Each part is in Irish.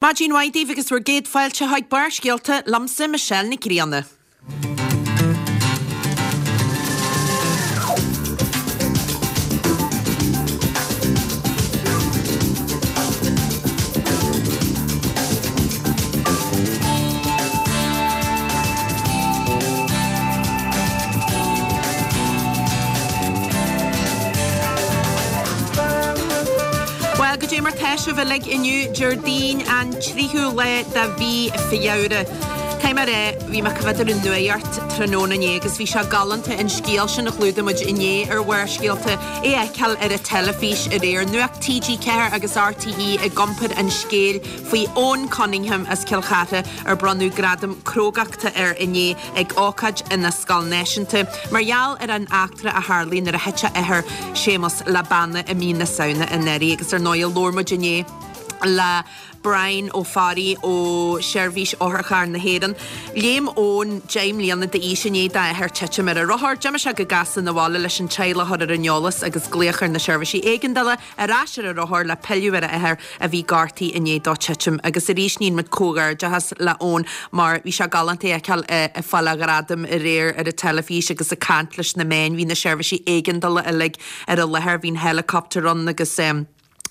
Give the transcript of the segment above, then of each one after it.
Maidin mhaith daoibh agus bhur gcéad fáilte chuig Barrscéalta liomsa Michelle Nic Grianna. Bhuel, goidé mar tá sibh uilig inniu, Déardaoin an 3ú lá de mhí Feabhra. Caithfidh mé a rá, bhí mé ag coimhéad ar an nuacht tráthnóna inné agus bhí sé galánta an scéal sin a chlúdaigh muid inné ar Bharrscéalta, é a fheiceáil ar an teilifís aréir. Nuacht TG4 agus RTÉ ag iompar an scéil faoi Eoin Cunningham as Cill Chartha ar bronnadh gradam crógachta air inné ag ócáid ina scoil náisiúnta mar gheall ar an eachtra a tharlaigh nuair a thit a athair Séamus le banna i mí na Samhna anuraidh agus ar ndóigh labhair muid inné le Brian Ó Fearraigh ó Sheirbhís Otharcharr na hÉireann. Léim Eoin, 10 mbliana d'aois, i ndiaidh dá athair titim ar a rothar. D'imigh sé go gasta 'na bhaile leis an teaghlach a chur ar an eolas agus glaoch ar na seirbhísí éigeandála. Ar ais ar a rothar le pilleadh ar a athair a bhí gortaithe i ndiaidh dó titim. Agus arís níonn muid comhghairdeachas le Eoin mar bhí sé galánta é a fheiceáil ag fáil a ghradaim aréir ar an teilifís agus ag caint leis na meáin. Bhí na seirbhísí éigeandála uilig ar an láthair, bhí an helicopter ann agus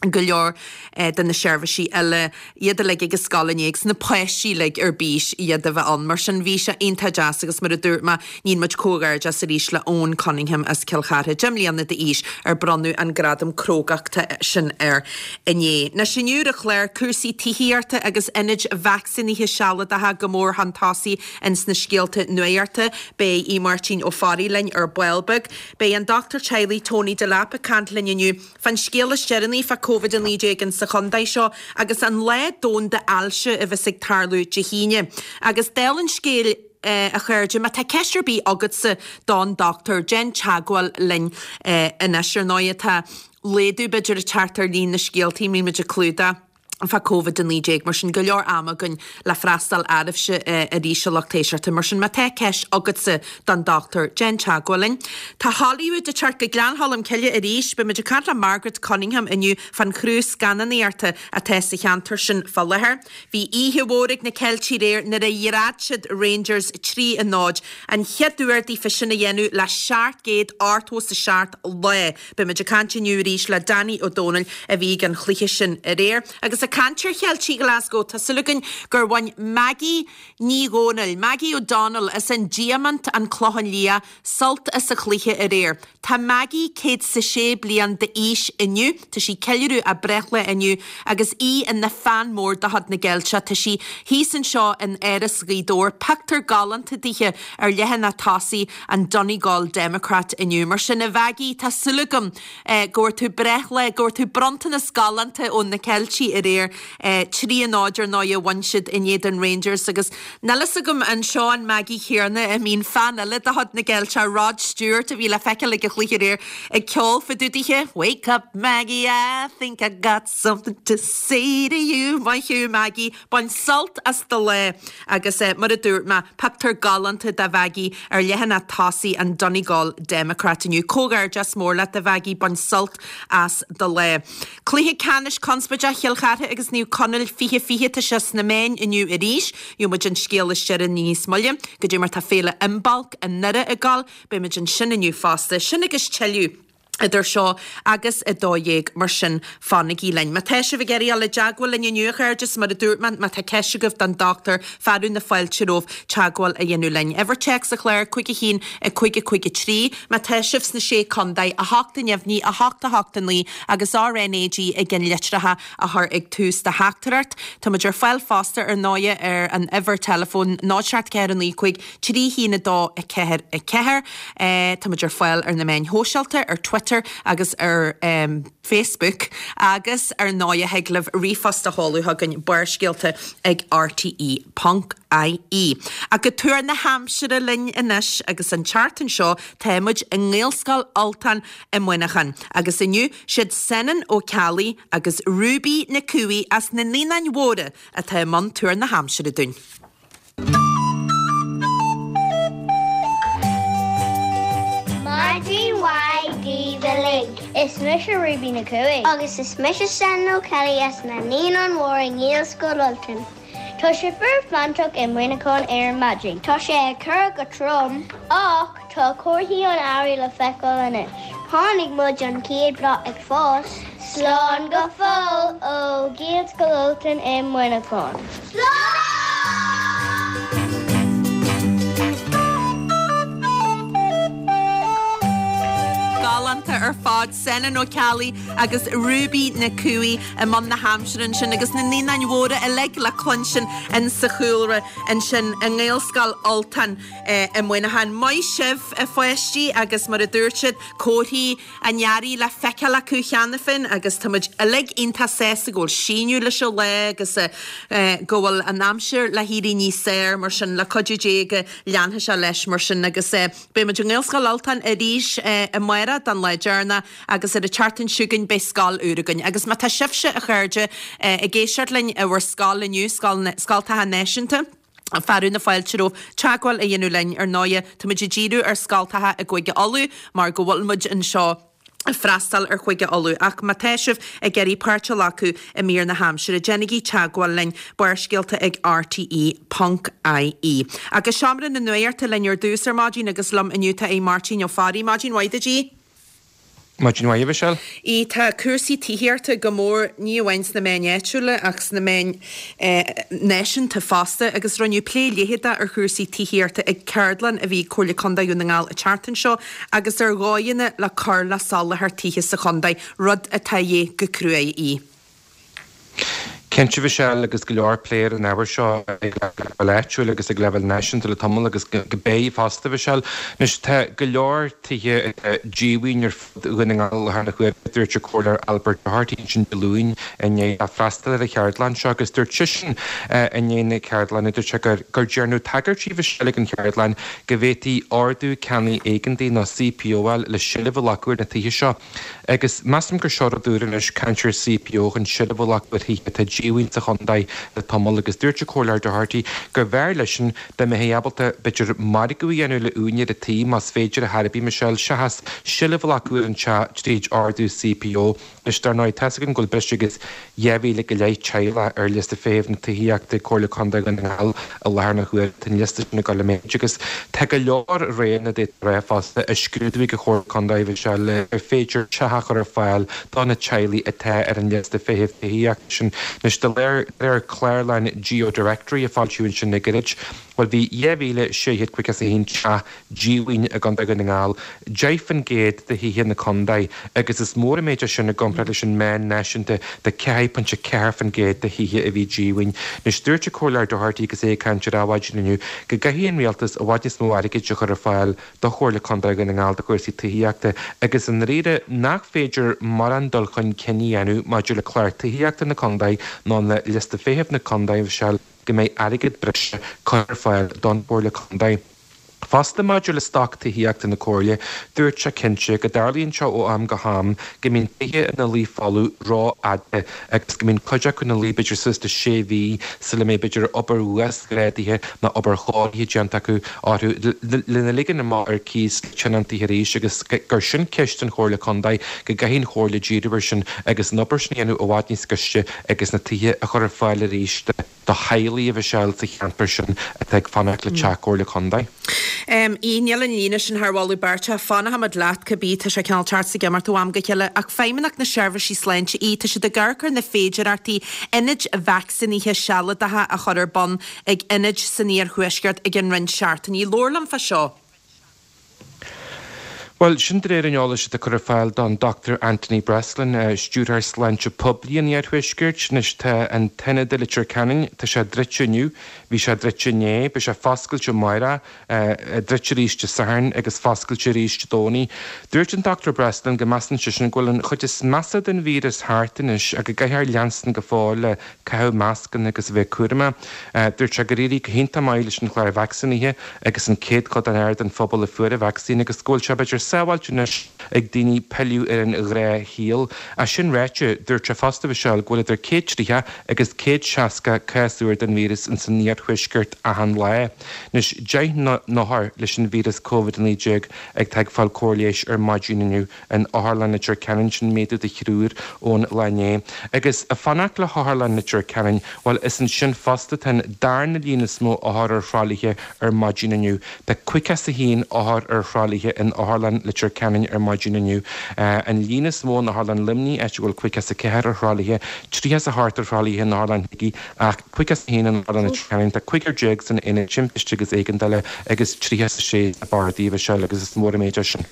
go leor de na seirbhísí eile, iad uilig ag an scoil inné agus na páistí uilig ar bís iad a bheith ann. Mar sin bhí sé iontach deas agus mar a dúirt mé, Níonn muid comhghairdeas arís le Eoin Cunningham as Cill Chartha, 10 mbliana d'aois, ar bronnadh an gradam crógachta sin air inné. Anois inniu ar an chlár, cúrsaí tithíochta agus ionaid vacsaínithe sealadacha go mór chun tosaigh ins na scéalta nuachta. Beidh Aodh Máirtín Ó Fearraigh linn ar ball beag. Beidh an dochtúir teaghlaigh Tony Delap ag caint linn inniu. Fán scéal is deireanaí fá Covid-19 insa chontae seo agus an Lá Domhanda Ailse a bheas ag tarlú Dé hAoine. Agus dála an scéil, a chairde, má tá ceist ar bith agatsa don dochtúir, déan teagmháil linn anois. Ar ndóigh, tá laghdú b'fhéidir ag teacht ar líon na scéaltaí a mbíonn muid ag clúdach fá Covid-19, mar sin go leor ama againn le freastal oraibhse arís, a lucht éisteachta. Mar sin, má tá ceist agatsa don dochtúir, déan teagmháil linn. Tá Hollywood ag teacht go Gleann Cholm Cille arís. Beidh muid ag caint le Margaret Cunningham inniu fán chriú scannánaíochta atá sa cheantar sin fá láthair. Bhí oíche mhór ag na Ceiltigh aréir nuair a dhread siad Rangers 3 a 0, an chéad uair daofa sin a dhéanamh le 787 lá. Beidh muid ag caint inniu arís le Danny Ó Dónaill a bhí ag an chluiche sin aréir. Agus ag caint ar Cheiltigh Glasgow, tá súil againn gur bhain Maggie Ní Dhomhnaill, Maggie O'Donnell, as an Diamant, An Clochán Liath, sult as an chluiche aréir. Tá Maggie 106 bliain d'aois inniu, tá sí ag ceiliúradh a breithlá inniu agus í ina fan mór de chuid na gCeilteach. Tá sí thíos anseo in Áras Ghaoth Dobhair, pictiúr galánta dithe ar leathanach tosaigh an Donegal Democrat inniu. Mar sin, a Mhaggie, tá súil agam go bhfuair tú breithlá, go bhfuair tú bronntanas galánta ó na Ceiltigh aréir. 3 a 0 ar ndóigh a bhain siad in éadan Rangers agus níl fhios agam an seo an Maggie chéanna a mbíonn fan eile de chuid na gCeilteach, Rod Stewart, a bhí le feiceáil ag an chluiche aréir ag ceol fá dtaobh dithe, Wake up Maggie, I think I got something to say to you. Maith thú Maggie, bain sult as do lá agus mar a dúirt mé, pictiúr galánta de Mhaggie ar leathanach tosaigh an Donegal Democrat inniu. Comhghairdeas mór leat a Mhaggie, bain sult as do lá. Cluiche ceannais conspóideach Chill Chartha agus Naomh Conaill 20 20 tá sé sna meáin inniu arís. Gheobhaidh muid an scéal is deireanaí níos moille. Goidé mar tá Féile Imbolc i nDoire ag gabháil, beidh muid ansin inniu fosta. Sin agus tuilleadh idir seo agus 12, mar sin fanaigí linn. Má tá sibh ag iarraidh dul i dteagmháil linn inniu, a chairde, is mar a dúirt mé, má tá ceist agaibh don dochtúir, fearadh na fáilte romhaibh teagmháil a dhéanamh linn. Uimhir téacs an chláir, 5 1 5 5 3. Má tá sibh sna Sé Contae, 8 neamhní, 8 8 9 agus RNAG i gceannlitreacha a chur ag tús do theachtaireacht. Tá muid ar fáil fosta ar ndóighe ar an uimhir teileafóin 0 7 4 9 5 3 1 2 4 4. Tá muid ar fáil ar na meáin shóisialta, ar Twitter agus ar Facebook agus ar ndóighe thig libh ríomhphost a sheoladh chugainn, Barrscéalta ag rte ponc ie. Ach go tuar na haimsire linn anois agus an tseachtain seo tá muid i nGaelscoil Ultain i Muineachán agus inniu siad Senan Ó Ceallaigh agus Ruby Nic Cumhaigh as na Naíonáin Mhóra atá i mbun tuar na haimsire dúinn. Maidin mhaith daoibh uilig. Is. Is mise Ruby Nic Cumhaigh. Agus is mise Senan O'Kelly as na Naíonáin Mhóra i nGaelscoil Ultain. Tá sé fuar fánach i Muineachán ar maidin. Tá sé ag cur go trom ach tá comharthaí an earraigh le feiceáil anois. Chonaic muid an chéad bhláth ag fás. Slán go fóill ó Ghaelscoil Ultain i Muineachán. Slán! Galánta ar fad, Senan Ó Ceallaigh agus Ruby Nic Cumhaigh i mbun na haimsire ansin agus na Naíonáin Mhóra uilig le cluinstin in sa chúlra ansin i nGaelscoil Ultain i Muineachán. Maith sibh a pháistí agus mar a dúirt siad, comharthaí an earraigh le feiceáil acu cheana féin agus tá muid uilig iontach sásta go bhfuil síneadh leis an lá agus go bhfuil an aimsir le héirí níos fearr mar sin le cuidiú Dé go leanfaidh sé leis mar sin agus beidh muid i nGaelscoil Ultain arís amárach don lá deireanach agus ar an tseachtain seo chugainn beidh scoil úr againn agus má tá sibhse a chairde ag éisteacht linn i bhur scoil inniu, Scoil Scoltacha Náisiúnta. Fearadh na fáilte romhaibh teagmháil a dhéanamh linn. Ar ndóighe, tá muid ag díriú ar scoltacha i gCúige Uladh mar go bhfuil muid anseo ag freastal ar Chúige Uladh. Ach má tá sibh ag iarraidh páirt a ghlacadh i mír na haimsire, déanaigí teagmháil linn, Barrscéalta ag rte ponc ie. Agus Seomra na Nuachta linn ar dtús ar maidin agus liom inniu tá Aodh Máirtín Ó Fearraigh. Maidin mhaith duit, Aodh. Maidin mhaith, a Mhichelle. Aodh, tá cúrsaí tithíochta go mór, ní amháin sna meáin áitiúla ach sna meáin náisiúnta fosta agus rinneadh plé leitheadach ar chúrsaí tithíochta ag ceardlann a bhí ag Comhairle Contae Dhún na nGall an tseachtain seo agus ar dhóigheanna le cur le soláthar tithe sa chontae, rud atá a dhíth go cruaidh. Aodh. Cinnte, a Mhichelle, agus go leor plé ar an ábhar seo ag leibhéal áitiúil agus ag leibhéal náisiúnta le tamall agus go beidh fosta, a Mhichelle. Anois, tá go leor tithe atá díomhaoin ar fud Dhún na nGall i láthair na huaire, dúirt an Comhairleoir Albert Doherty ansin Dé Luain i ndiaidh dó freastal ar an cheardlann seo agus dúirt seisean i ndiaidh na ceardlainne, dúirt sé gur gur dearnadh tagairtí, a Mhichelle, ag an cheardlann go bhféadfaí Ordú Ceannaigh Éigeantaigh nó CPO a fháil le seilbh a ghlacadh ar na tithe seo. Agus measaim gur seo rud úr anois, caint ar CPO chun seilbh a ghlacadh ar thithe atá díomhaoin sa chontae le tamall agus dúirt an Comhairleoir Doherty gur bhfearr leisean dá mbeifí ábalta b'fhéidir margadh a dhéanamh le úinéir an tí más féidir ar chor ar bith, Michelle, seachas seilbh a ghlacadh ar an teach tríd ordú CPO. Anois, dar ndóigh, tá's againn go bhfuil breis agus 2,000 go leith teaghlach ar liosta feithimh na tithíochta ag Comhairle Contae Dhún na nGall i láthair na huaire. Tá an liosta sin ag dul i méid agus tá go leor roghanna d'fhéadfá a rá fosta á scrúdú ag an Chomhairle Contae, Michelle, ar féidir teach a chur ar fáil do na teaghlaigh atá ar an liosta feithimh tithíochta sin. Anois, de réir clárlann GeoDirectory a foilsíodh ansin le gairid, bhuel, bhí 2,651 teach díomhaoin i gContae Dhún na nGall, 10% de thithe na contae, agus is mór an méid é sin i gcomparáid leis an meán náisiúnta de 4.4% de thithe a bhí díomhaoin. Anois, dúirt an Comhairleoir Doherty agus é ag caint ar Adhmhaidin inniu go gcaithfidh an Rialtas i bhfad níos mó airgid a chur ar fáil do Chomhairle Contae Dhún na nGall do chúrsaí tithíochta agus i ndáiríre nach féidir mórán dul chun cinn a dhéanamh maidir le clár tithíochta na contae ná le liosta feithimh na contae, Michelle, go mbeidh airgead breise curtha ar fáil don Chomhairle Contae. Fosta maidir le stoc tithíochta na Comhairle, dúirt sé cinnte go dtarlaíonn sé ó am go ham go mbíonn tithe ina luí folamh rófhada agus go mbíonn cuid acu ina luí b'fhéidir suas le sé mhí sula mbeidh b'fhéidir obair uasghrádaithe nó obair chóirithe déanta acu orthu lena ligean amach ar cíos le tionóntaithe arís agus gur sin ceist don Chomhairle Contae go gcaithfidh an Chomhairle díriú air sin agus an obair sin a dhéanamh i bhfad níos gaiste agus na tithe a chur ar fáil arís do do theaghlaigh a Mhichelle sa cheantar sin atá ag fanacht le teach Comhairle Contae. Aodh, Níl an líne sin thar mholadh beirte. Fanfaimid leat cibé, tá sé cineál teacht is ag imeacht ó am go chéile. Ach Feidhmeannacht na Seirbhísí Sláinte, Aodh, tá siad ag amharc ar na féidearthachtaí ionaid vacsaínithe sealadacha a chur ar bun ag ionaid san iarthuaisceart i gceann roinnt seachtainí. Labhair liom fá seo. Bhuel, sin de réir an eolais atá curtha ar fáil don Dr Anthony Breslin, Stiúrthóir Sláinte Poiblí an Iarthuaiscirt. Anois tá an t-ionad i Leitir Ceanainn, tá sé druidte inniu, bhí sé druidte inné, beidh sé foscailte amárach, druidte arís Dé Sathairn agus foscailte arís Dé Domhnaigh. Dúirt an Dr Breslin go measann seisean go bhfuil an chuid is measa den víreas thart anois ach go gcaithfear leanstan go fóill le caitheamh mascanna agus a bheith cúramach. Dúirt sé gur éirigh go hiontach maith leis an chlár vacsaínithe agus an céad chodán den phobal a fuair an vacsaín agus go bhfuil sé b'fhéidir. sábháilte anois ag daoine pilleadh ar an ghnáthshaol. Ach sin ráite, dúirt sé fosta, a Mhichelle, go bhfuil idir 130 agus 160 cás úr den víreas ins an iarthuaisceart achan lá. Anois, 10 n-othar leis an víreas Covid-19 atá ag fáil cóir leighis ar maidin inniu in Otharlann Leitir Ceanainn, sin méadú de thriúr ón lá inné. Agus ag fanacht le hOtharlann Leitir Ceanainn, bhuel, is ansin fosta atá an darna líon is mó othar ar thralaithe ar maidin inniu. Tá 51 othar ar thralaithe in Otharlann Leitir Ceanainn ar maidin inniu. An líon is mó in Otharlann Luimnigh, áit a bhfuil 54 ar thralaithe, 38 ar thralaithe in Otharlann Shligigh ach 51 in Otharlann Leitir Ceanainn. Tá cúigear déag san Aonad Timpiste agus Éigeandála agus 36 sna bardaí, a Mhichelle, agus is mór an méid é sin.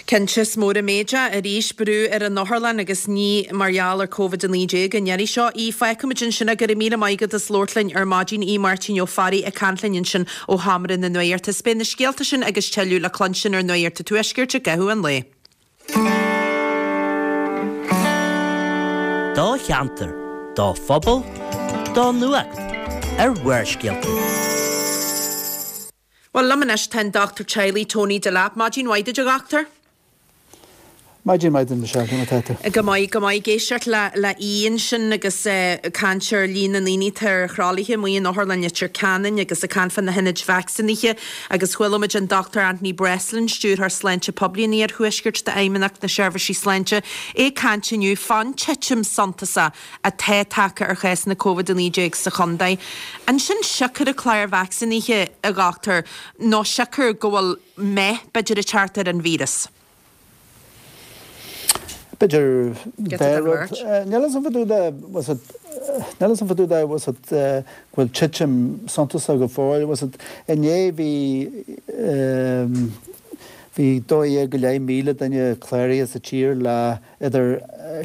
Cinnte, is mór an méid é. Arís, brú ar an otharlann agus ní mar gheall ar Covid-19 an iarraidh seo. Aodh, fágfaimid ansin é. Go raibh míle maith agat as labhairt linn ar maidin. Aodh Máirtín Ó Fearraigh ag caint linn ansin ó sheomra na nuachta. Is beidh na scéalta sin agus tuilleadh le cluinstin ar Nuacht an Tuaiscirt i gcaitheamh an lae. Do cheantar, do phobal, do nuacht ar Bharrscéalta. Bhuel, liom anois tá an Dochtúir Teaghlaigh, Tony Delap. Maidin mhaith duit, a dhochtúir. Maidin mhaith duit, Michelle. Conas atá tú? Go maith, go maith. Ag éisteacht le le Aodh ansin agus ag caint ar líon na ndaoine atá ar thralaithe amuigh in Otharlann Leitir Ceanainn agus ag caint fá na hionaid vacsaínithe agus chuala muid an Dochtúir Anthony Breslin, Stiúrthóir Sláinte Poiblí an Iarthuaiscirt d'Fheidhmeannacht na Seirbhísí Sláinte, é ag caint inniu fán titim suntasach atá tagtha ar chásanna Covid-19 sa chontae. An sin siocair an chláir vacsaínithe, a dhochtúir, nó siocair go bhfuil meath, b'fhéidir, ag teacht ar an víreas? B'fhéidir dá rud. Níl a fhios agam fá dtaobh de, bhfuil a fhios agat, níl a fhios agam fá dtaobh de, bhfuil a fhios agat, go bhfuil titim suntasach go fóill. Bhfuil a fhios agat, inné bhí, bhí 12,500 duine cláraithe sa tír le idir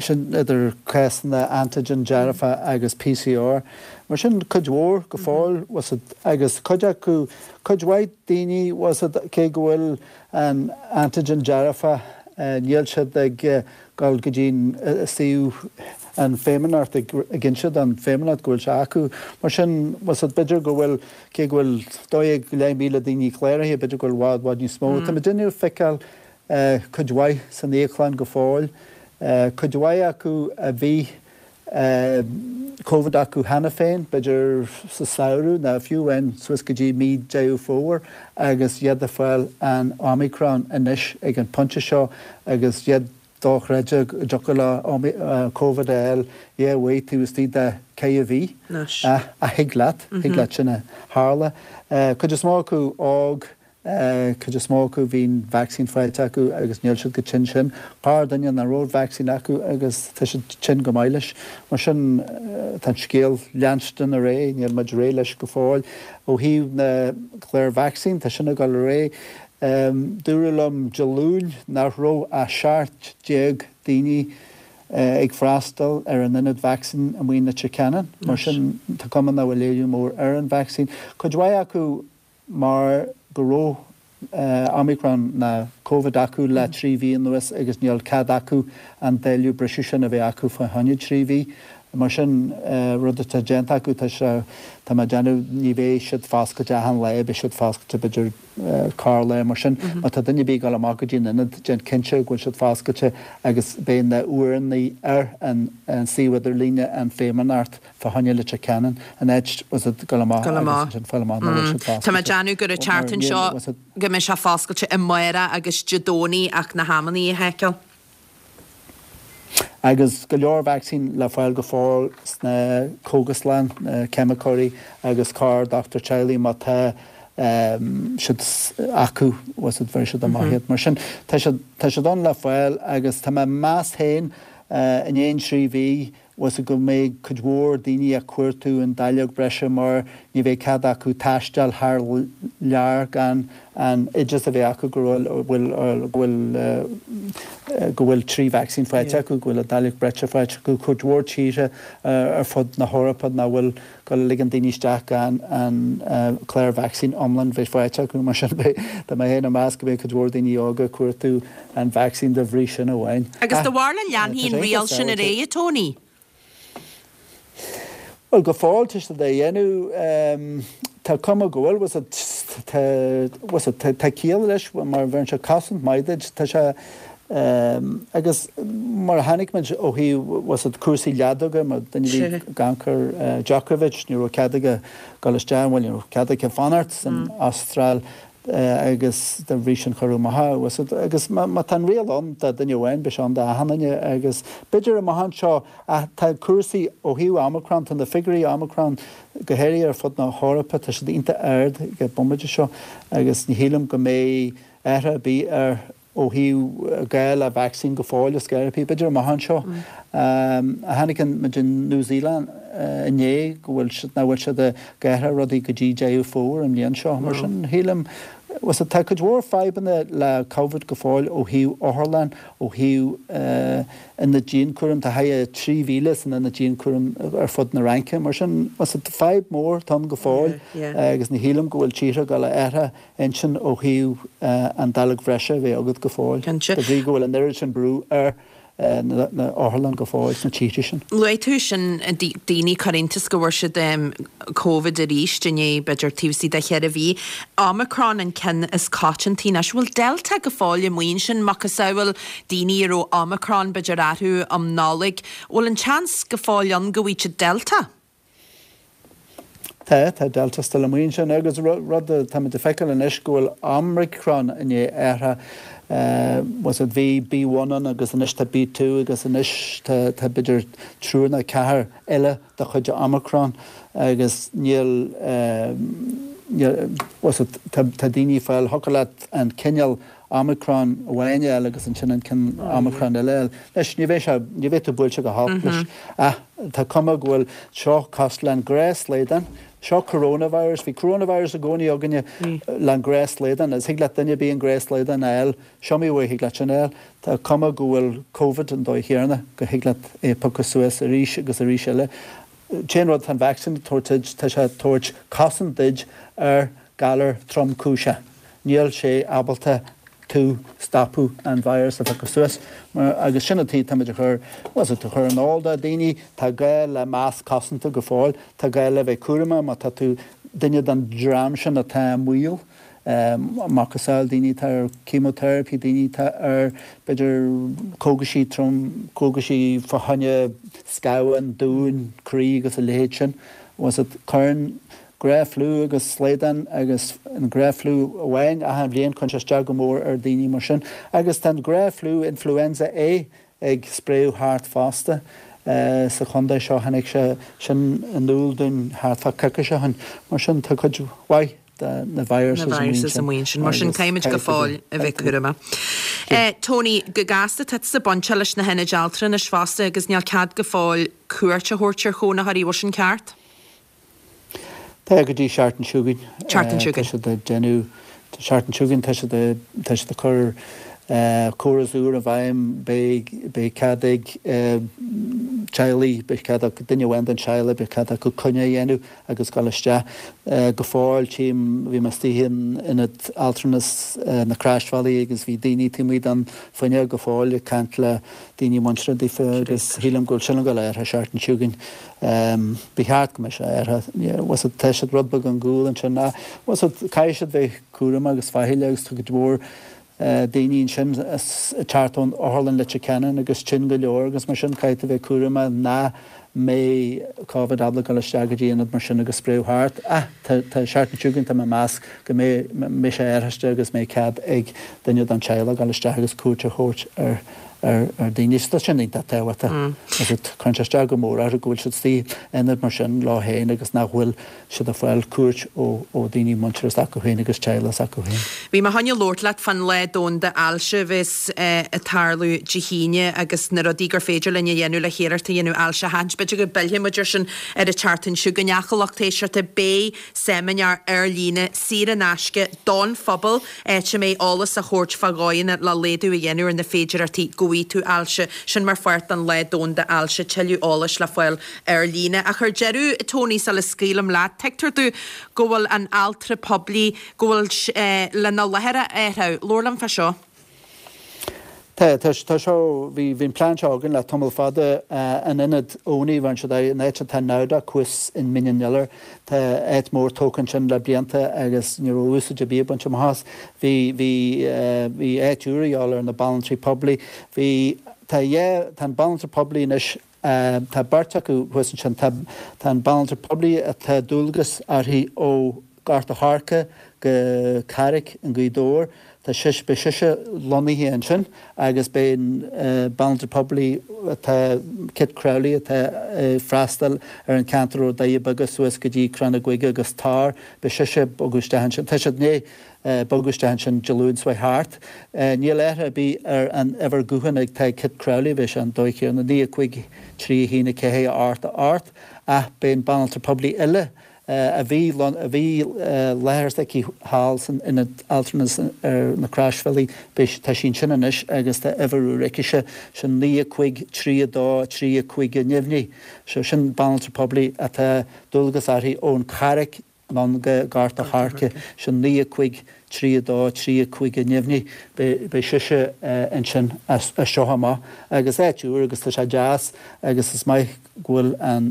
sin, idir cásanna antigen dearfa agus PCR. Mar sin, cuid mhór go fóill, bhfuil a fhios agat, agus cuid acu, cuid mhaith daoine, bhfuil a fhios agat, cé go bhfuil an antigen dearfa, níl siad ag dul go dtí an suíomh, an Feidhmeannacht, ag inse don Feidhmeannacht go bhfuil sé acu. Mar sin, bhfuil a fhios agat, b'fhéidir go bhfuil, cé go bhfuil 12,500 daoine cláraithe, b'fhéidir go bhfuil i bhfad, bhfad níos mó. Tá muidinne ag feiceáil cuid mhaith san íoclann go fóill, cuid mhaith acu a bhí Covid acu cheana féin, b'fhéidir sa samhradh nó fiú amháin suas go dtí mí Deireadh Fómhair agus iad ag fáil an Omicron anois ag an pointe seo agus iad dochreidte go dtiocfadh leo Covid a fháil dhá uair taobh istigh de ceithre mhí. Ach thig leat, thig leat sin a tharla. Cuid is mó acu óg Cuid is mó acu bhí an vacsaín faighte acu agus níl siad chomh tinn sin. Corrdhuine nach raibh vacsaín acu agus tá siad tinn go maith leis. Mar sin tá an scéal leanstan ar aghaidh, níl muid réidh leis go fóill. Ó thaobh na cláir vacsaín, tá sin ag dul ar aghaidh. Dúradh liom Dé Luain nach raibh ach 17 daoine ag freastal ar an ionad vacsaín amuigh in Leitir Ceanainn. Mar sin tá cuma nach bhfuil éileamh mór ar an vacsaín. Cuid mhaith acu mar go raibh Omicron ná Covid acu le 3 mhí anuas agus níl cead acu an dáileog breise sin a bheith acu fá choinne 3 mhí. Mar sin, rud atá déanta acu, tá sé, tá mé ag déanamh, ní bheidh siad foscailte achan lá, beidh siad foscailte b'fhéidir corr lá. Mar sin, má tá duine ar bith ag dul amach go dtí an ionad, déan cinnte go bhfuil siad foscailte agus beidh na uaireanna ar an suíomh idirlíne an Feidhmeannacht. Fá choinne Leitir Ceanainn, an áit was it dul amach Dul amach. agus ansin fáil amach nach bhfuil siad foscailte. Tá mé ag déanamh gur an tseachtain seo was it. go mbeidh sé foscailte amárach agus Dé Domhnaigh ach na hamannaí a sheiceáil. Agus go leor vacsaín le fáil go fóill sna cógaslann, na ceimiceoirí agus corr dochtúir teaghlaigh má tá siad acu, was it, bheir siad amach iad. Mar sin tá siad, tá siad ann le fáil agus tá mé ag meas féin i ndiaidh an 3 mhí, was it go mbeidh cuid mhór daoine ag cuartú an dáileog breise mar ní bheidh cead acu taisteal thar lear gan an oideas a bheith acu go bhfuil go bhfuil go bhfuil 3 vacsaín faighte acu, go bhfuil an dáileog breise faighte acu. Cuid mhór tíortha ar fud na hEorpa nach bhfuil ag gabháil a ligean daoine isteach gan an clár vacsaín iomlán bheith faighte acu. Mar sin beidh, tá mé féin ag meas go mbeidh cuid mhór daoine óga ag cuartú an vacsaín de bhrí sin amháin. Agus do bharúil an leanfaidh an riail sin ar aghaidh, a Tony? Bhuel, go fóill tá siad á dhéanamh. Tá cuma go bhfuil, bhfuil fhios a'd, tá ciall leis mar bheireann sé cosaint maith duit, tá sé, agus mar a chonaic muid ó thaobh, bhfuil fhios a'd, cúrsaí leadóga, mar duine a bhí ag amharc ar Djokovic, ní raibh cead aige dul isteach, bhuel ní raibh cead aige fanacht san Astráil agus dá bhrí sin cuireadh amach é, bhfuil fhios a'd, agus má tá an riail ann do duine amháin, beidh sé ann do achan duine agus b'fhéidir amach anseo ach tá cúrsaí ó thaobh Omicron, tá na figiúirí Omicron go háirithe ar fud na hEorpa, tá siad iontach ard ag an bomaite seo agus ní shílim go mbeidh athrú ar bith ar ó thaobh gá le vacsaín go fóill ar scor ar bith, b'fhéidir amach anseo. Chonaic muid in New Zealand inné go bhfuil siad, nach bhfuil siad ag athrú rudaí go dtí Deireadh Fómhair an bhliain seo. Mar sin, shílim, bhfuil tá cuid mhór fadhbanna le Covid go fóill ó thaobh otharlann, ó thaobh ionad dianchúraim, tá thart ar 3,000 san ionad dianchúraim ar fud na Fhraince. Mar sin, fadhb mór atá ann go fóill agus ní shílim go bhfuil tíortha ag dul a athrú intinn ó thaobh an dáileog bhreise a bheith agat go fóill, de bhrí go bhfuil an oiread sin brú ar na otharlann go fóill sna tíortha sin. Luaigh tú sin, daoine ag cur iontas go bhfuair siad Covid arís i ndiaidh b'fhéidir taobh istigh de cheithre mhí. Omicron an ceann is coitianta anois. Bhfuil Delta go fóill amuigh ansin, macasamhail daoine a raibh Omicron b'fhéidir orthu um Nollaig, bhfuil an seans go fóill ann go bhfaighidh siad Delta? Tá, tá Delta still amuigh ansin agus rud atáimid ag feiceáil anois go bhfuil Omicron i ndiaidh athrú, bhfuil fhios a'd, bhí B1 ann agus anois tá B2 agus anois tá, tá b'fhéidir triúr nó ceathair eile de chuid Omicron agus níl, níl, bhfuil fhios a'd, tá, tá daoine ag fáil, thiocfadh leat an cineál Omicron amháin a fháil agus ansin an cineál Omicron eile a fháil. Anois, ní bheidh sé, ní bheidh tú buailte go holc leis ach tá cuma go bhfuil seo cosúil le an gnáthshlaghdán, seo coronavirus, bhí coronavirus i gcónaí againne le an gnáthshlaghdán agus thig leat duine ar bith an gnáthshlaghdán a fháil, is iomaí uair thig leat sin a fháil. Tá cuma go bhfuil Covid an dóigh chéanna, go thig leat é a phiocadh suas arís agus arís eile. An t-aon rud atá an vacsaín ag tabhairt duit, tá sé ag tabhairt cosaint duit ar galar tromchúiseach. Níl sé ábalta tú stopadh an virus a phiocadh suas mar agus sin an tuige táimid a chur, bhfuil fhios a'd, a chur in iúl do daoine, tá gá le masc cosanta go fóill, tá gá le bheith cúramach má tá tú duine den dream sin atá i mbaol, macasamhail daoine atá ar chemotherapy, daoine atá ar b'fhéidir cógaisí trom, cógaisí fá choinne scamhán, dúin, croí agus a leithéid sin, bhfuil fhios a'd, cuireann Gnáth-fhliú agus slaghdán agus an gnáth-fhliú amháin achan bhliain, cuireann sé isteach go mór ar daoine mar sin. Agus tá an gnáth-fhliú Influenza A ag spréadh thart fosta sa chontae seo, tháinig sé sin in iúl dúinn thart fá coicís ó shin. Mar sin tá cuid mhaith de na viruses amuigh ansin. Mar sin caithfimid go fóill a bheith cúramach. Tony, go gasta, tá tusa bainteach leis na hionaid altranais fosta agus níl cead go fóill cuairt a thabhairt ar chónaitheoirí, bhfuil sin ceart? Tá go dtí seachtain seo chugainn. Seachtain seo chugainn. Tá siad ag déanamh, seachtain seo chugainn tá siad ag, tá siad ag cur córas úr i bhfeidhm, beidh, beidh cead ag teaghlaigh, beidh cead ag duine amháin den teaghlach, beidh cead acu coinne a dhéanamh agus dul isteach. Go fóill tchím, bhí mé istigh in ionad altranais na Croisbhealaí agus bhí daoine taobh amuigh den fuinneog go fóill ag caint le daoine muinteartha daofa agus shílim go bhfuil sin ag dul a athrú seachtain seo chugainn. Ba cheart go mbeadh sé athraithe. Bhfuil fhios a'd, tá siad rud beag ar gcúl ansin ach bhfuil fhios a'd, caithfidh siad bheith cúramach agus faichilleach agus tá cuid mhór daoine ansin ag teacht ón otharlann Leitir Ceanainn agus tinn go leor agus mar sin caithfidh tú bheith cúramach nach mbeidh Covid ábalta dul isteach go dtí ionad mar sin agus spréadh thart. Ach tá seachtain seo chugainn tá mé ag meas go mbeidh sé athraithe agus mbeidh cead ag duine den teaghlach dul isteach agus cuairt a thabhairt ar ar daoine. Tá sin iontach tábhachtach. Agus cuireann sé isteach go mór orthu go bhfuil siad istigh in ionad mar sin leo féin agus nach bhfuil siad ag fáil cuairt ó daoine muinteartha s'acu féin agus teaghlach s'acu féin. Bhí mé chun labhairt leat fán Lá Domhanda Ailse a bheas ag tarlú Dé hAoine agus na rudaí gur féidir linn a dhéanamh le hiarracht a dhéanamh ailse a sheachaint. B'fhéidir go bpillfidh muid ar sin ar an tseachtain seo chugainn. Ach a lucht éisteachta, beidh seimineár ar líne saor in aisce don phobal, áit a mbeidh eolas á thabhairt fá dhóigheanna le laghdú a dhéanamh ar na féidireachtaí go bhfaighidh tú ailse. Sin mar pháirt den Lá Domhanda Ailse. Tuilleadh eolais le fáil ar líne. Ach ar deireadh, Tony, sula scaoilim leat, tuigtear domh go bhfuil an altra poiblí, go bhfuil, lena láthair a athrú. Labhair liom fá seo. Tá, tá, tá seo, bhí, bhí an plean seo againn le tamall fada, an ionad Owney, bhain siad aghaidh, an áit atá Nowdoc thuas in Mín an Iolair, tá áit mór tógtha ansin le blianta agus ní raibh úsáid ar bith ag baint amach as. Bhí, bhí, bhí áit úr a dhíobháil ar na banaltraí poiblí. Bhí, tá yeah, tá an banaltra poiblí anois, tá beirt acu thuas ansin, tá, tá an banaltra poiblí atá dualgas uirthi ó Gort a' Choirce go Carraig i nGaoth Dobhair. Tá sise, beidh sise lonnaithe ansin agus beidh an banaltra poiblí atá, Kit Crowley atá ag freastal ar an cheantar ó Dhoirí Beaga suas go dtí Crann na Gaoithe agus Tor, beidh sise ag bogadh isteach ansin. Tá siad i ndiaidh bogadh isteach ansin Dé Luain seo thart. Níl athrú ar bith ar an uimhir gutháin atá ag Kit Crowley, beidh sé an dóigh chéanna, 9 5 3 1 4 8 8, ach beidh an banaltra poiblí eile a bhí a bhí láthair s'aici thall san ionad altranais ar na Croisbhealaí, beidh, tá sí ansin anois agus tá uimhir úr aicise, sin 9 5 3 2 3 5 neamhní. So sin banaltra poiblí atá dualgas uirthi ón Charraig anonn go Gort a' Choirce, sin 9 5 3 2 3 5 neamhní. Beidh, beidh sise ansin as seo amach agus áit úr agus tá sé deas agus is maith go bhfuil an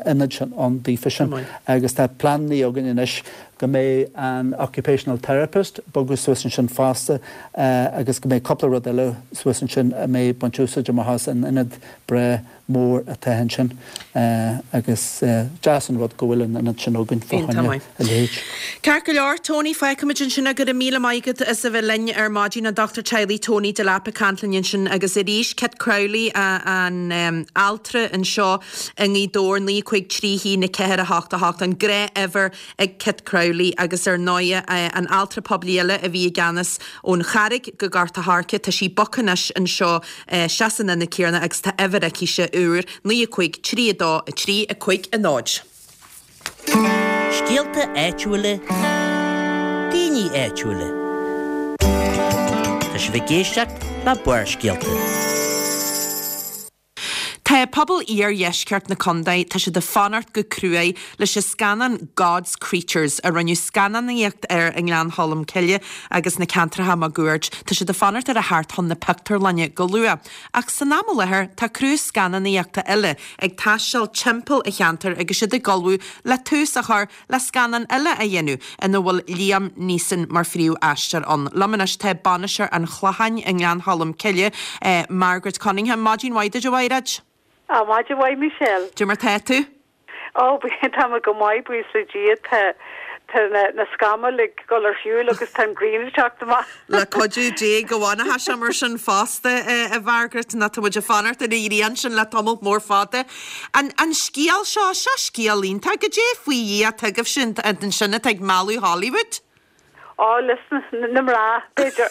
ionad sin ann daofa sin agus tá pleananna againn anois go mbeidh an occupational therapist bogadh suas ansin fosta agus go mbeidh cúpla rud eile suas ansin a mbeidh baint úsáid amach as an ionad breá mór atá ansin agus deas an rud go bhfuil an ionad sin againn fá choinne a leithéid. Ceart go leor, Tony, fágfaimid ansin é. Go raibh míle maith agat as a bheith linn ar maidin, an Dochtúir Teaghlaigh Tony Delap ag caint linn ansin agus arís Kit Crowley, an altra anseo i nGaoth Dobhair, 9 5 3 1 4 8 8, an gnáthuimhir ag Kit Crowley agus ar ndóighe an altra poiblí eile a bhí i gceannas ón Charraig go Gort a' Choirce, tá sí bogtha anois anseo isteach san ionad céanna agus tá uimhir aicise úr, 9 5 3 2 3 5 0. Scéalta áitiúla, daoine áitiúla. Tá sibh ag éisteacht le Barrscéalta. Tá pobal iardheisceart na contae, tá siad ag fanacht go cruaidh leis an scannán God's Creatures a rinneadh scannánaíocht air i nGleann Cholm Cille agus na ceantracha máguaird. Tá siad ag fanacht air a theacht chun na pictiúrlainne go luath. Ach san am i láthair, tá criú scannánaíochta eile ag taisteal timpeall an cheantair agus iad ag ullmhú le tús a chur le scannán eile a dhéanamh ina bhfuil Liam Neeson mar phríomh-aisteoir ann. Liom anois tá bainisteoir an Chlocháin i nGleann Cholm Cille, Margaret Cunningham. Maidin mhaith duit, a Mhaighread. Á, maidin mhaith, Michelle. Cad é mar tá tú? Ó, tá mé go maith, buíochas le Dia. Tá, tá na, na scamaill ag dul ar shiúl agus tá an ghrian ag teacht amach. Le cuidiú Dé go bhfanfaidh sé mar sin fosta, a Mhargaret, nó tá muid ag fanacht ar an ghrian sin le tamall mór fada. An, an scéal seo, seo scéal iontach. Goidé faoi Dhia atá agaibhse ansin atá ag mealladh Hollywood? Á, leis na mná, b'fhéidir.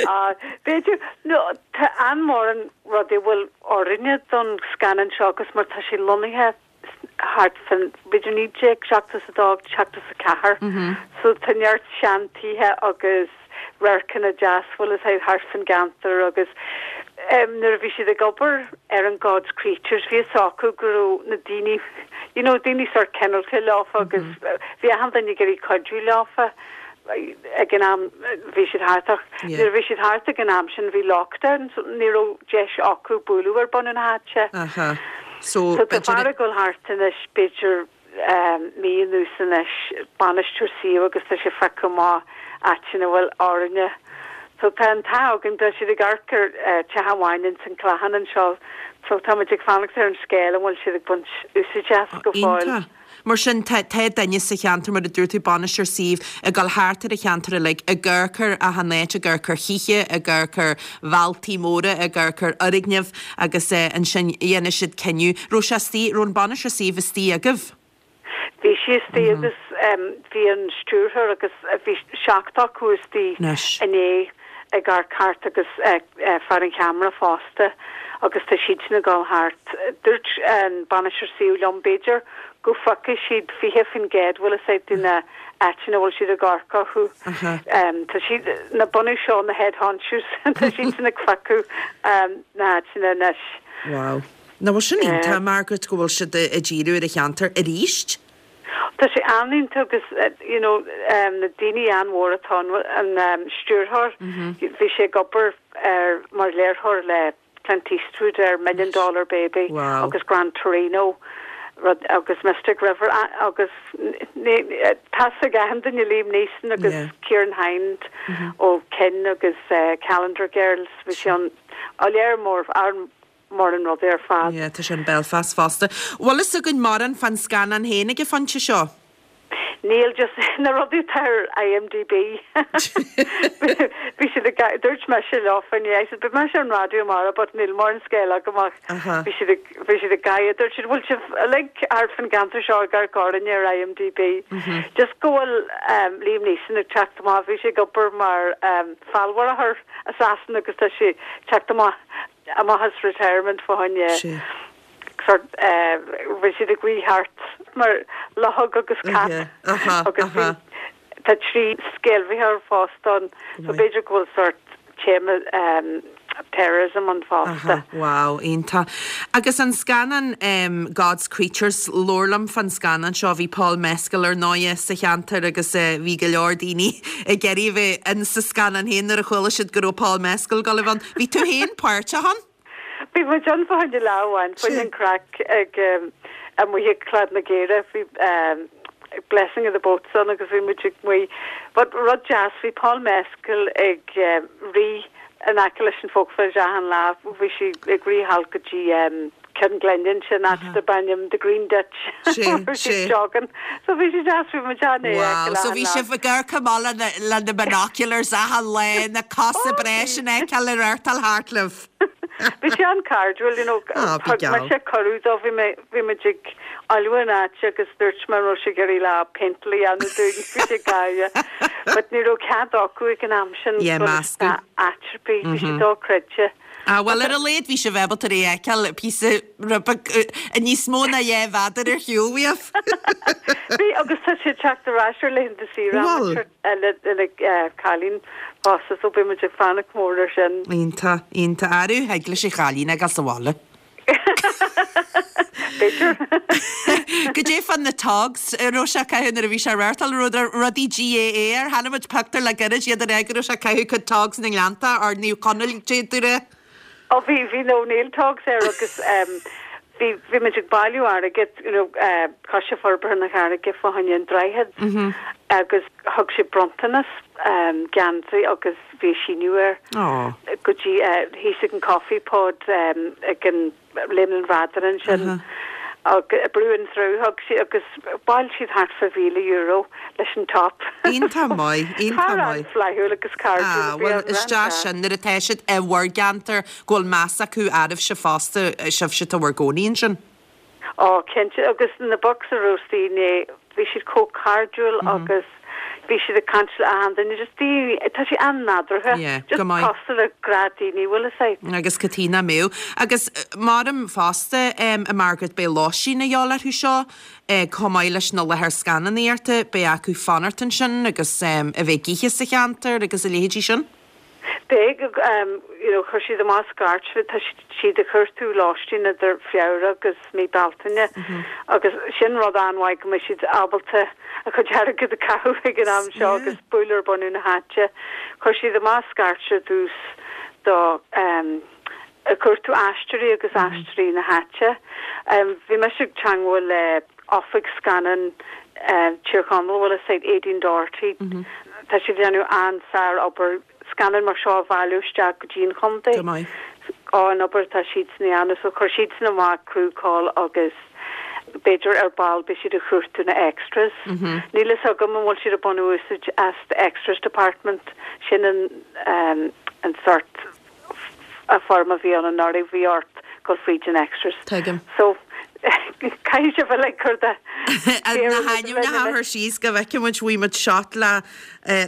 Á, b'fhéidir. No, tá an-mhórán rudaí a bhfuil orainne don scannán seo agus mar tá sé lonnaithe thart fán, b'fhéidir 1972, 74. So tá neart seantithe agus radharcanna deas bhfuil fhios a'd thart fán gceantar agus nuair a bhí siad ag obair ar an God's Creatures bhí fhios acu go raibh na daoine you know daoine sort cineálta leofa agus bhí achan duine ag iarraidh cuidiú leofa ag an am bhí siad thart ach nuair a bhí siad thart ag an am sin bhí lockdown so ní raibh deis acu bualadh ar bun na háite. So tá fear ag dul thart anois b'fhéidir mí anuas anois, bainisteoir suíomh agus tá sé ag phiocadh amach áiteanna a bhfuil orainne. So tá an t-ádh againn, tá siad ag amharc ar teach amháin ins an Clochán anseo so tá muid ag fanacht ar an scéal an bhfuil siad ag baint úsáid as go fóill. Iontach. Mar sin, tá tá duine sa cheantar, mar a dúirt tú, bainisteoir suímh, ag dul thart ar an cheantar uilig, ag amharc ar achan áit, ag amharc ar thithe, ag amharc ar bhealtaí móra, ag amharc ar fhoirgnimh agus ansin dhéanfaidh siad cinneadh. Raibh sé istigh, raibh an bainisteoir suímh istigh agaibh? Bhí sí istigh agus bhí an stiúrthóir agus bhí seacht acu istigh inné ag amharc thart agus fear an cheamara fosta agus tá siadsan ag dul thart. Dúirt an bainisteoir suímh liom b'fhéidir go bhfeicfidh siad 20% bhfuil fhios a'd de na áiteanna a bhfuil siad ag amharc orthu. Tá siad, na bunadh seo, na head honchos, tá siadsan ag phiocadh na háiteanna anois. Wow. Nach bhfuil sin iontach, Margaret, go bhfuil siad ag díriú ar an cheantar arís? Tá sé an-iontach agus you know na daoine an-mhór atá ann, an stiúrthóir, bhí sé ag obair ar mar léiritheoir le Clint Eastwood ar Million Dollar Baby agus Gran Torino rud agus Mystic River agus tá 'fhios ag achan duine Liam Neeson agus Ciarán Hinds ó Kin agus Calendar Girls bhí sé ann léir mór mórán rudaí ar fad. Yeah, tá sé in Belfast fosta. Bhfuil fhios againn mórán fán scannán féin ag an phointe seo? Níl, just na rudaí atá ar IMDb. Bhí siad ag, dúirt mise leofa inné, I said, beidh mise ar an raidió amárach but níl mórán scéal agam ach bhí siad ag, bhí siad ag gáire, dúirt siad, bhfuil sibh uilig thart fán gceantar seo ag amharc orainne ar IMDb. Just go bhfuil Liam Neeson ag teacht amach, bhí sé ag obair mar feallmharaitheoir assassin agus tá sé ag teacht amach amach as retirement fá choinne sort bhí siad ag rith thart mar luchóg agus cat agus bhí tá 3 sceimhlitheoir fosta ann so b'fhéidir go bhfuil sort téama terrorism ann fosta. Wow, iontach. Agus an scannán God's Creatures, labhair liom fán scannán seo, bhí Paul Mescal ar ndóighe sa cheantar agus bhí go leor daoine ag iarraidh a bheith in sa scannán féin nuair a chuala siad go raibh Paul Mescal ag dul a bheith ann. Bhí tú féin páirteach ann? Bhí muid ann fá choinne lá amháin, fá choinne an craic ag amuigh ag Claid na gCaorach, bhí Blessing of the Boats ann agus bhí muid amuigh. But rud deas, bhí Paul Mescal ag rith in aice leis an Folk Village achan lá, bhí sé ag rith thall go dtí Ceann Glinne ansin, áit darb ainm The Green Ditch, bhí sé ag jogging. So bhí sé deas, bhí muid ann é a fheiceáil Wow, so bhí sibh ag amharc amach le na binoculars achan lá, na cosa breise a fheiceáil ag reáchtáil thart libh. Bhí sé an-cairdiúil, you know, thug mise cuireadh dó, bhí mé, bhí muid ag ullmhú an áit agus dúirt mé an raibh sé ag iarraidh lá péinteáil a dhéanamh dúinn, bhí sé ag gáire. But ní raibh cead acu ag an am sin dul isteach áit ar bith, bhí sé dochreidte. Ah, bhuel ar a laghad bhí sibh ábalta é a fheiceáil píosa rud beag níos mó ná 2 mhéadar ar shiúl uaibh. Bhí, agus tá sé ag teacht ar ais ar laethanta saoire Bhuel. le cailín fosta so beidh muid ag fanacht go mór ar sin. Iontach, iontach. Arú, thig leis an chailín a ghabháil sa bhaile. B'fhéidir. Goidé fá na togs a raibh sé ag caitheamh nuair a bhí sé ag reáchtáil, an raibh rudaí GAA air? Chonaic muid pictiúr le gairid iad ag rá go raibh sé ag caitheamh cuid togs na nGleannta or Naomh Conaill d'fhéadfadh rá. Ó bhí, bhí na O'Neill togs air agus bhí, bhí muid ag bailiú airgid, you know, Coiste Forbartha na Carraige fá choinne an droichead agus thug sé bronntanas geansaí agus bhí a síniú air go dtí thíos ag an Coffee Pod ag an Léim an Bhradáin ansin agus Brew and Through thug sí agus bhailigh siad thart fá €1,000 leis an top. Iontach maith, iontach maith. Fear an-fhlaithiúil agus cairdiúil a bhí ann. Ah, bhuel is deas sin nuair atá siad i bhur gceantar go bhfuil meas acu oraibhse fosta, sibhse atá bhur gcónaí ansin. Ó, cinnte, agus na Bucks a raibh istigh inné, bhí siad chomh cairdiúil agus bhí siad ag caint le achan duine, just daoine, tá sé an-nádúrtha, Yeah, just go maith. cosúil le gnáthdhaoine, bhfuil fhios a'd. Agus cad chuige nach mbeadh. Agus maram fosta, a Margaret, beidh lóistín a dhíobháil orthu seo, chomh maith leis na láthair scannánaíochta, beidh acu fanacht ansin agus a bheith ag ithe sa cheantar agus a leithéidí sin. Beidh, you know, chuir siad amach scairt, tá siad ag cuartú lóistín idir Feabhra agus mí Bealtaine agus sin rud an-mhaith go mbeidh siad ábalta a chuid airgid a chaitheamh ag an am seo agus bualadh ar bunadh na háite. Chuir siad amach scairt ar dtús do ag cuartú aisteoirí agus aisteoirí na háite. Bhí mise ag teangmháil le Oifig Scannán Tír Chonaill, bhfuil fhios a'd, Aideen Doherty. Tá siad ag déanamh an-sár-obair scannáin mar seo a bhailiú isteach go dtí an chontae. Go maith. Á, an obair atá siadsan a dhéanamh. So chuir siadsan amach crew call agus b'fhéidir ar ball beidh siad ag cuartú na extras. Níl fhios agam an bhfuil siad ag baint úsáid as the extras department, sin an an sort foirm a bhí ann anuraidh, bhí ort dul fríd an extras. Tuigim. So, caithfidh sibh uilig cur de Na hainmneacha a chur síos go bhfeicfidh muid, bhfaighidh muid shot le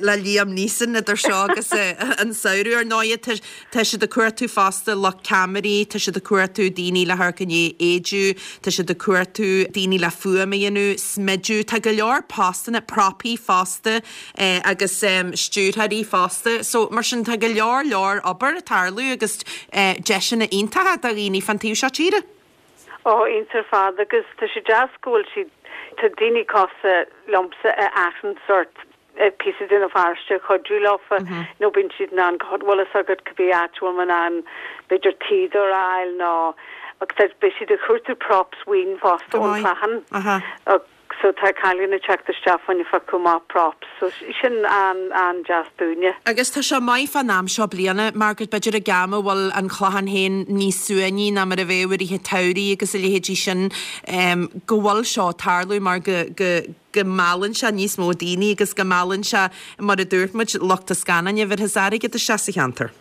le Liam Neeson idir seo agus an samhradh. Ar ndóighe, tá tá siad ag cuartú fosta lucht ceamaraí, tá siad ag cuartú daoine le hamharc i ndiaidh éidiú, tá siad ag cuartú daoine le fuaim a dhéanamh, smidiú, tá go leor postanna, propaí fosta. agus stiúrthóirí fosta. So, mar sin, tá go leor leor obair ag tarlú agus deiseanna iontacha do dhaoine fán taobh seo tíre. Ó, iontach ar fad agus tá sé deas go bhfuil siad, Tá daoine cosúil liomsa a achan sort píosa de na pharóiste a chuidiú leofa nó bíonn siad in ann go bhfuil fhios agat cibé áit a bhfuil mé in ann b'fhéidir tuíodóir a fháil nó agus beidh siad ag cuartú props amháin fosta ón Clochán so tá cailín ag teacht isteach fá choinne phiocadh amach props so sin an-an-deas dúinne. Agus tá sé maith fán am seo bliana, Margaret, b'fhéidir ag am a bhfuil an Clochán féin níos suaimhní ná mar a bheadh i rith an tsamhraidh agus a leithéidí sin, go bhfuil seo ag tarlú mar go, go, go meallann sé níos mó daoine agus go meallann sé, mar a dúirt muid, lucht an scannáin a bhéarfas airgead isteach sa cheantar.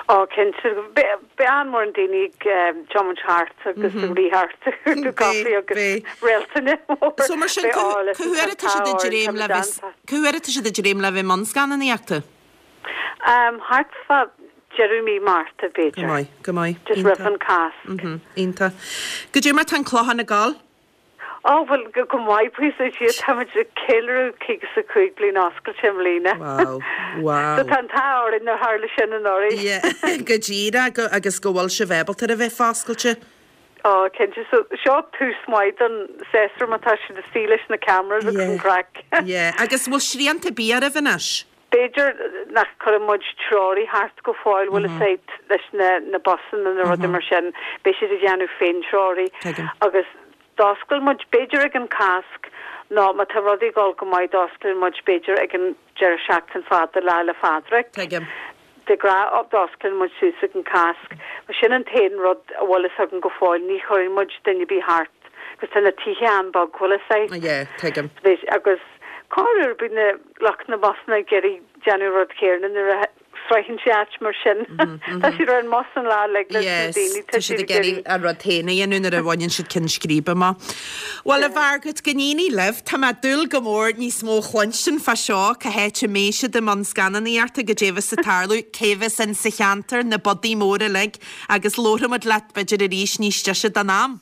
Ó, cinnte. Beidh an-mhórán daoine ag tiomáint thart agus ag rith thart ag cuartú caife agus réaltaine mór. So mar sin, cá huair atá siad ag dréim le bheith, cá huair atá siad ag dréim le bheith i mbun scannánaíochta? Thart fá deireadh mí Márta, b'fhéidir. Go maith, go maith. Just roimh an Cásc. Iontach. Goidé mar tá an Clochán ag gabháil? Ó, bhuel, go maith, buíochas le Dia. Táimid ag ceiliúradh 55 bliain oscailte i mbliana. Wow, wow. So tá an t-ádh orainn nár tharla sin anuraidh. Yeah, go díreach, agus go bhfuil sibh ábalta ar a bheith foscailte. Ó, cinnte. So, seo tús maith don séasúr má tá siad istigh leis na cameras agus an craic. Yeah, agus bhfuil srianta ar bith oraibh anois? B'fhéidir nach gcuireann muid treoraí thart go fóill, bhfuil fhios agat, leis na na busanna nó rudaí mar sin, beidh siad ag déanamh féin-treoraí. Tuigim. Agus d'oscail muid, b'fhéidir ag an Cásc nó má tá rudaí ag dul go maith d'osclaíonn muid b'fhéidir ag an deireadh seachtain fada Lá 'le Phádraig. Tuigim. De ghnáth d'osclaíonn muid suas ag an Cásc. Mar sin an t-aon rud a bhfuil fhios agam go fóill, ní chuireann muid duine ar bith thart agus tá na tithe an-bheag, bhfuil fhios agat. Yeah, tuigim. Agus corruair bíonn na lucht na mbusanna ag iarraidh déanamh an rud céanna nuair a sroicheann sé áit mar sin. Tá siad ar an mbus an lá uilig leis na daoine, tá siad ag iarraidh an rud féin a dhéanamh nuair a bhaineann siad ceann scríbe amach. Bhuel, a Mhargaret, go n-éirí libh. Tá mé ag dúil go mór níos mó a chluinstin fá seo, cá háit a mbeidh siad i mbun scannánaíochta, goidé a bheas ag tarlú, cé bheas in sa cheantar, na budaí móra uilig, agus labharfaidh muid leat b'fhéidir arís níos deise don am.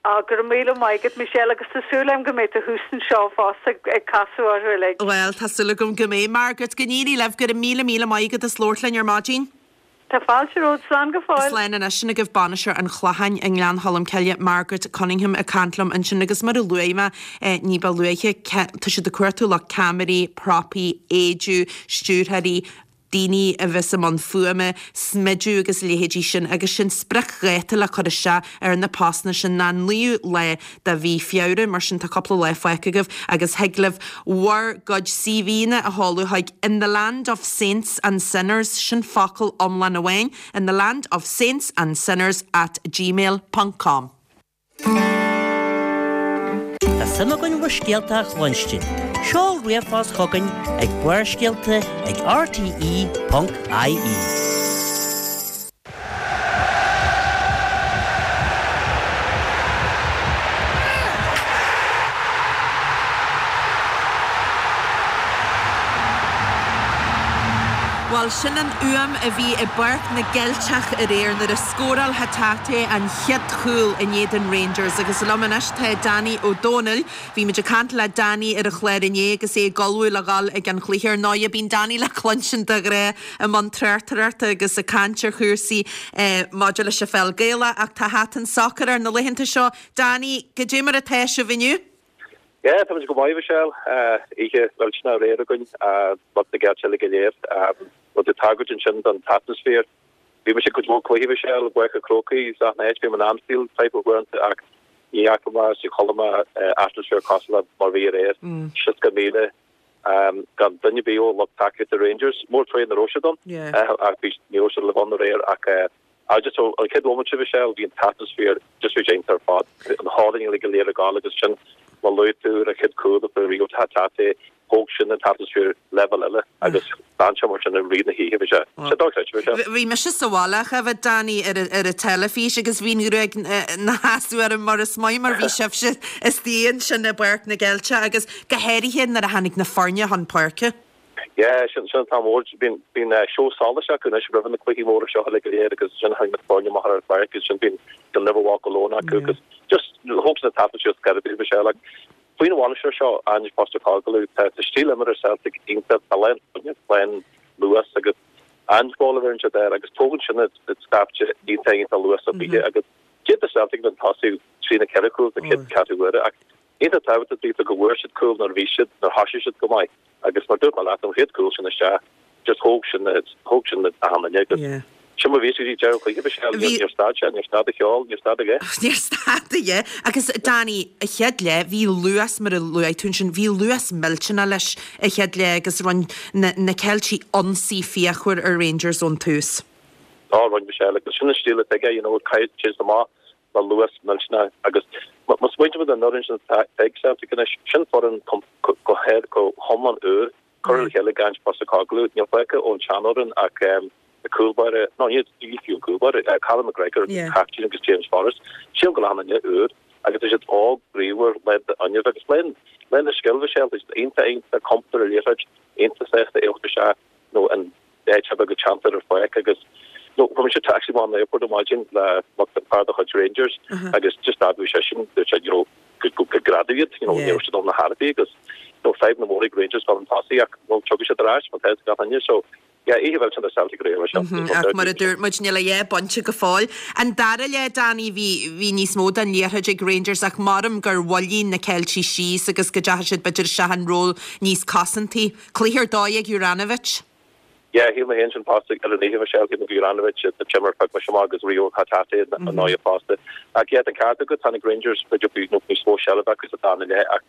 Á, go raibh míle maith agat, Michelle, agus tá súil agam go mbeidh tú thuas anseo fosta ag casadh orthu uilig. Bhuel, tá súil agam go mbeidh. Margaret, go n-éirí libh, go raibh míle míle maith agat as labhairt linn ar maidin. Tá fáilte romhat, slán go fóill. Slán anois, sin agaibh bainisteoir an Chlocháin i nGleann Cholm Cille, Margaret Cunningham ag caint liom ansin agus mar a luaigh mé ní ba luaithe, tá siad ag cuartú lucht ceamaraí, propaí, éidiú, stiúrthóirí, daoine a bheas i mbun fuaime, smidiú agus a leithéidí sin agus sin spriocdháta le cur isteach ar na postanna sin ná an 9ú lá de mhí Feabhra, mar sin tá cúpla lá fágtha agaibh agus thig libh bhur gcuid CVnna a sheoladh chuig In the Land of Saints and Sinners, sin focal iomlán amháin, In the Land of Saints and Sinners at gmail ponc com. Tá suim againn bhur scéalta a chluinstin. Seol ríomhphost chugainn ag barrscéalta ag rte.ie. Bhuel, sin an fhuaim a bhí i bPáirc na gCeilteach aréir nuair a scóráil Hatate an chéad chúl in éadan Rangers agus liom anois tá Danny Ó Dónaill. Bhí muid ag caint le Danny ar an chlár inné agus é ag ullmhú le dhul ag an chluiche. Ar ndóigh, bíonn Danny le cluinstin de ghnáth i mbun tráchtaireachta agus ag caint ar chúrsaí maidir leis an pheil Gaelach ach tá hata an tsacair air na laethanta seo. Danny, goidé mar atá sibh inniu? Yeah, táimid go maith, Michelle. Oíche mhillteanach aréir againn, lucht na gCeilteach uilig go léir. Bhfuil tú ag tagairt ansin don t-atmaisféar. Bhí mise ag cuid mhór cluichí, Michelle, i bPáirc an Chrócaigh, is achan áit, bhí mé in Anfield type of uaireanta ach ní fhaca mé is ní chuala mé atmaisféar cosúil le mar bhí aréir. 60,000 gan duine ar bith ó lucht tacaíochta Rangers. Mór tréan nach raibh siad ann, ach bhí, ní raibh siad le bheith ann aréir ach just ó an chéad bhomaite Michelle, bhí an t-atmaisféar just bhí sé iontach ar fad. An hurling uilig go léir ag gabháil agus ansin má luaigh tú an chéad cúl a fuair Reo Hatate, thóg sin an t-atmaisféar leibhéal eile agus d'fhan sé mar sin i rith na hoíche, bhí sé sé dochreidte, bhí sé. Bhí mise sa bhaile a bhí Danny ar ar an teilifís agus bhí an ghruaig 'na sheasamh orm mar is maith mar bhí sibhse istigh ansin i bPáirc na gCeilteach agus Go háirithe nuair a tháinig na foirne chun páirce. Yeah, sin sin an t-am mór. Bíonn bíonn seó solais acu anois roimh na cluichí móra seo uilig go léir agus ansin tháinig na foirne amach ar an pháirc agus ansin bíonn You'll Never Walk Alone acu agus just thóg sin an t-atmaisféar scor ar bith Michelle. Like, faoin bhainisteoir seo, Ange Postecoglou, tá tá stíl imeartha Celtic iontach, tá lán fuinnimh, lán luas agus Angeball a bheireann siad air agus tógann sin an scaifte iontach iontach luasach oíche agus d'fhéadfadh Celtic bheith ag tosú trí nó ceithre chúl sa chéad ceathrú uaire ach. Iontach tábhachtach daofa go bhfuair siad cúl nuair a bhí siad, nuair thoisigh siad go maith agus mar dúirt mé leat, an chéad cúl sin isteach, just thóg sin na, thóg sin na achan duine agus Yeah. sin mar bhí sé go dtí deireadh an chluiche, Michelle, níor, Bhí. níor stad sé, níor stad an cheol, níor stad a dhath. Níor stad a dhath. Agus Danny, a chéad leath, bhí luas, mar a luaigh tú ansin, bhí luas millteanach leis a chéad leath agus rinne na, na Ceiltigh ionsaí fíochmhar ar Rangers ón tús. Á, rinne Michelle, agus sin an stíl atá aige, you know, caithfidh sé amach le luas millteanach agus má smaointímid ar an fhoireann sin atá ag Celtic anois, sin foireann go hiomlán úr, curtha le chéile ag Ange Postecoglou. Níl fágtha ón tseanfhoireann ach an cúl báire, nó ní fiú an cúl báire, Callum McGregor, captaen agus James Forrest. Sílim go bhfuil achan duine úr agus tá siad óg, bríomhar, lán d'fhuinneamh agus lán lán de scil, Michelle, tá siad iontach iontach compordach ar an liathróid, iontach sásta a theacht isteach nó an áit ar bith go teanntar ar pháirc agus nó fuair mise taxi amach ón airport ar maidin le mac fear de chuid Rangers agus just d'admhaigh seisean dúirt sé you know go go go greadadh iad you know ní raibh siad ann ar chor ar bith agus you know fadhb na mór ag Rangers dul chun tosaigh ach nó tiocfaidh siad ar ais mar tá a fhios ag gach duine so yeah oíche mhillteanach do Celtic aréir mar sin. Ach mar a dúirt muid níl a dhath bainte go fóill. An dara leath Danny bhí bhí níos mó den liathróid ag Rangers ach maram gur mhoilligh na Ceiltigh síos agus go dteachaigh siad b'fhéidir isteach in ról níos cosantaí. Cluiche ar dóigh ag Juranovic. Yeah, shíl mé féin sin fosta ar an oíche, Michelle, shíl mé go Juranovic an t-imreoir a phioc mise amach agus Reo Hatate ar ndóigh fosta. Ach yeah, tá an ceart agat, tháinig Rangers b'fhéidir bhí nó níos mó seilbh acu sa dara leath ach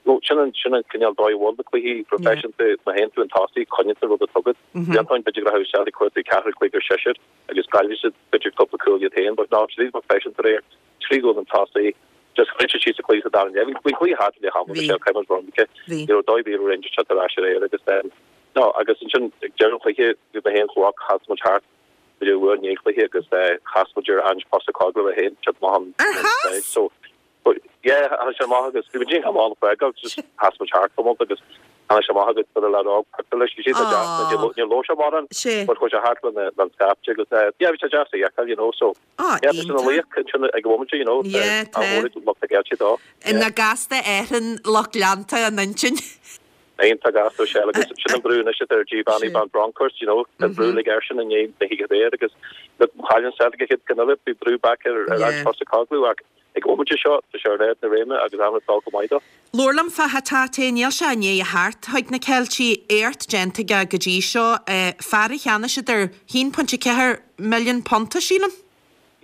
nó sin an sin an cineál dóigh a bhfuil na cluichí proifisiúnta, má théann tú chun tosaigh, coinníonn tú an rud atá agat. D'aontóinn b'fhéidir go raibh Celtic cuartú ceathrú, cúigear, seisear agus caillfidh siad b'fhéidir cúpla cúl iad féin but ná, siad iad proifisiúnta aréir. 3 chúl chun tosaigh, just chuir siad síos an cluiche sa dara leath. Bhí an cluiche thart i leath ama, Michelle, caithfidh muid rud Ní raibh dóigh ar bith a raibh Rangers teacht ar ais aréir agus then, no, agus ansin ag deireadh an chluiche, bhí mé féin chomh chas muid thart, b'fhéidir uair i ndiaidh an chluiche agus chas muid ar Ange Postecoglou é féin, teacht amach an Ar chas? So, but yeah, tháinig sé amach agus bhí muid ag amach an fágáil, just chas muid thart tamall agus tháinig sé amach agus chuir a leaid óg pictiúr leis, bhí sé deas, níor labhair sé mórán, but chuaigh sé thart lena scaifte agus yeah, bhí sé deas a fheiceáil, you know, so. Á, Yeah, tá sé ina iontach. laoch ansin ag an bhomaite, you know, Yeah, tá. an-mhór ag lucht na gCeiltigh dó. Ina gasta aithreann lucht leanta an intinn. Iontach gasta, Michelle, agus sin an brú anois atá ar Giovanni Van Bronckhorst, you know, tá an brú uilig airsean i ndiaidh na hoíche aréir agus look, chaill an Celtic an chéad ceann eile, bhí brú back ar ar Ange Yeah. Postecoglou ach ag an bhomaite seo, tá sé ar ard na réime agus an-rud dul go maith dó. Labhair liom fá Hatate, níl sé i ndiaidh a theacht chuig na Ceiltigh, éacht déanta aige go dtí seo, fear a cheannaigh siad ar £1.4 milliún, sílim.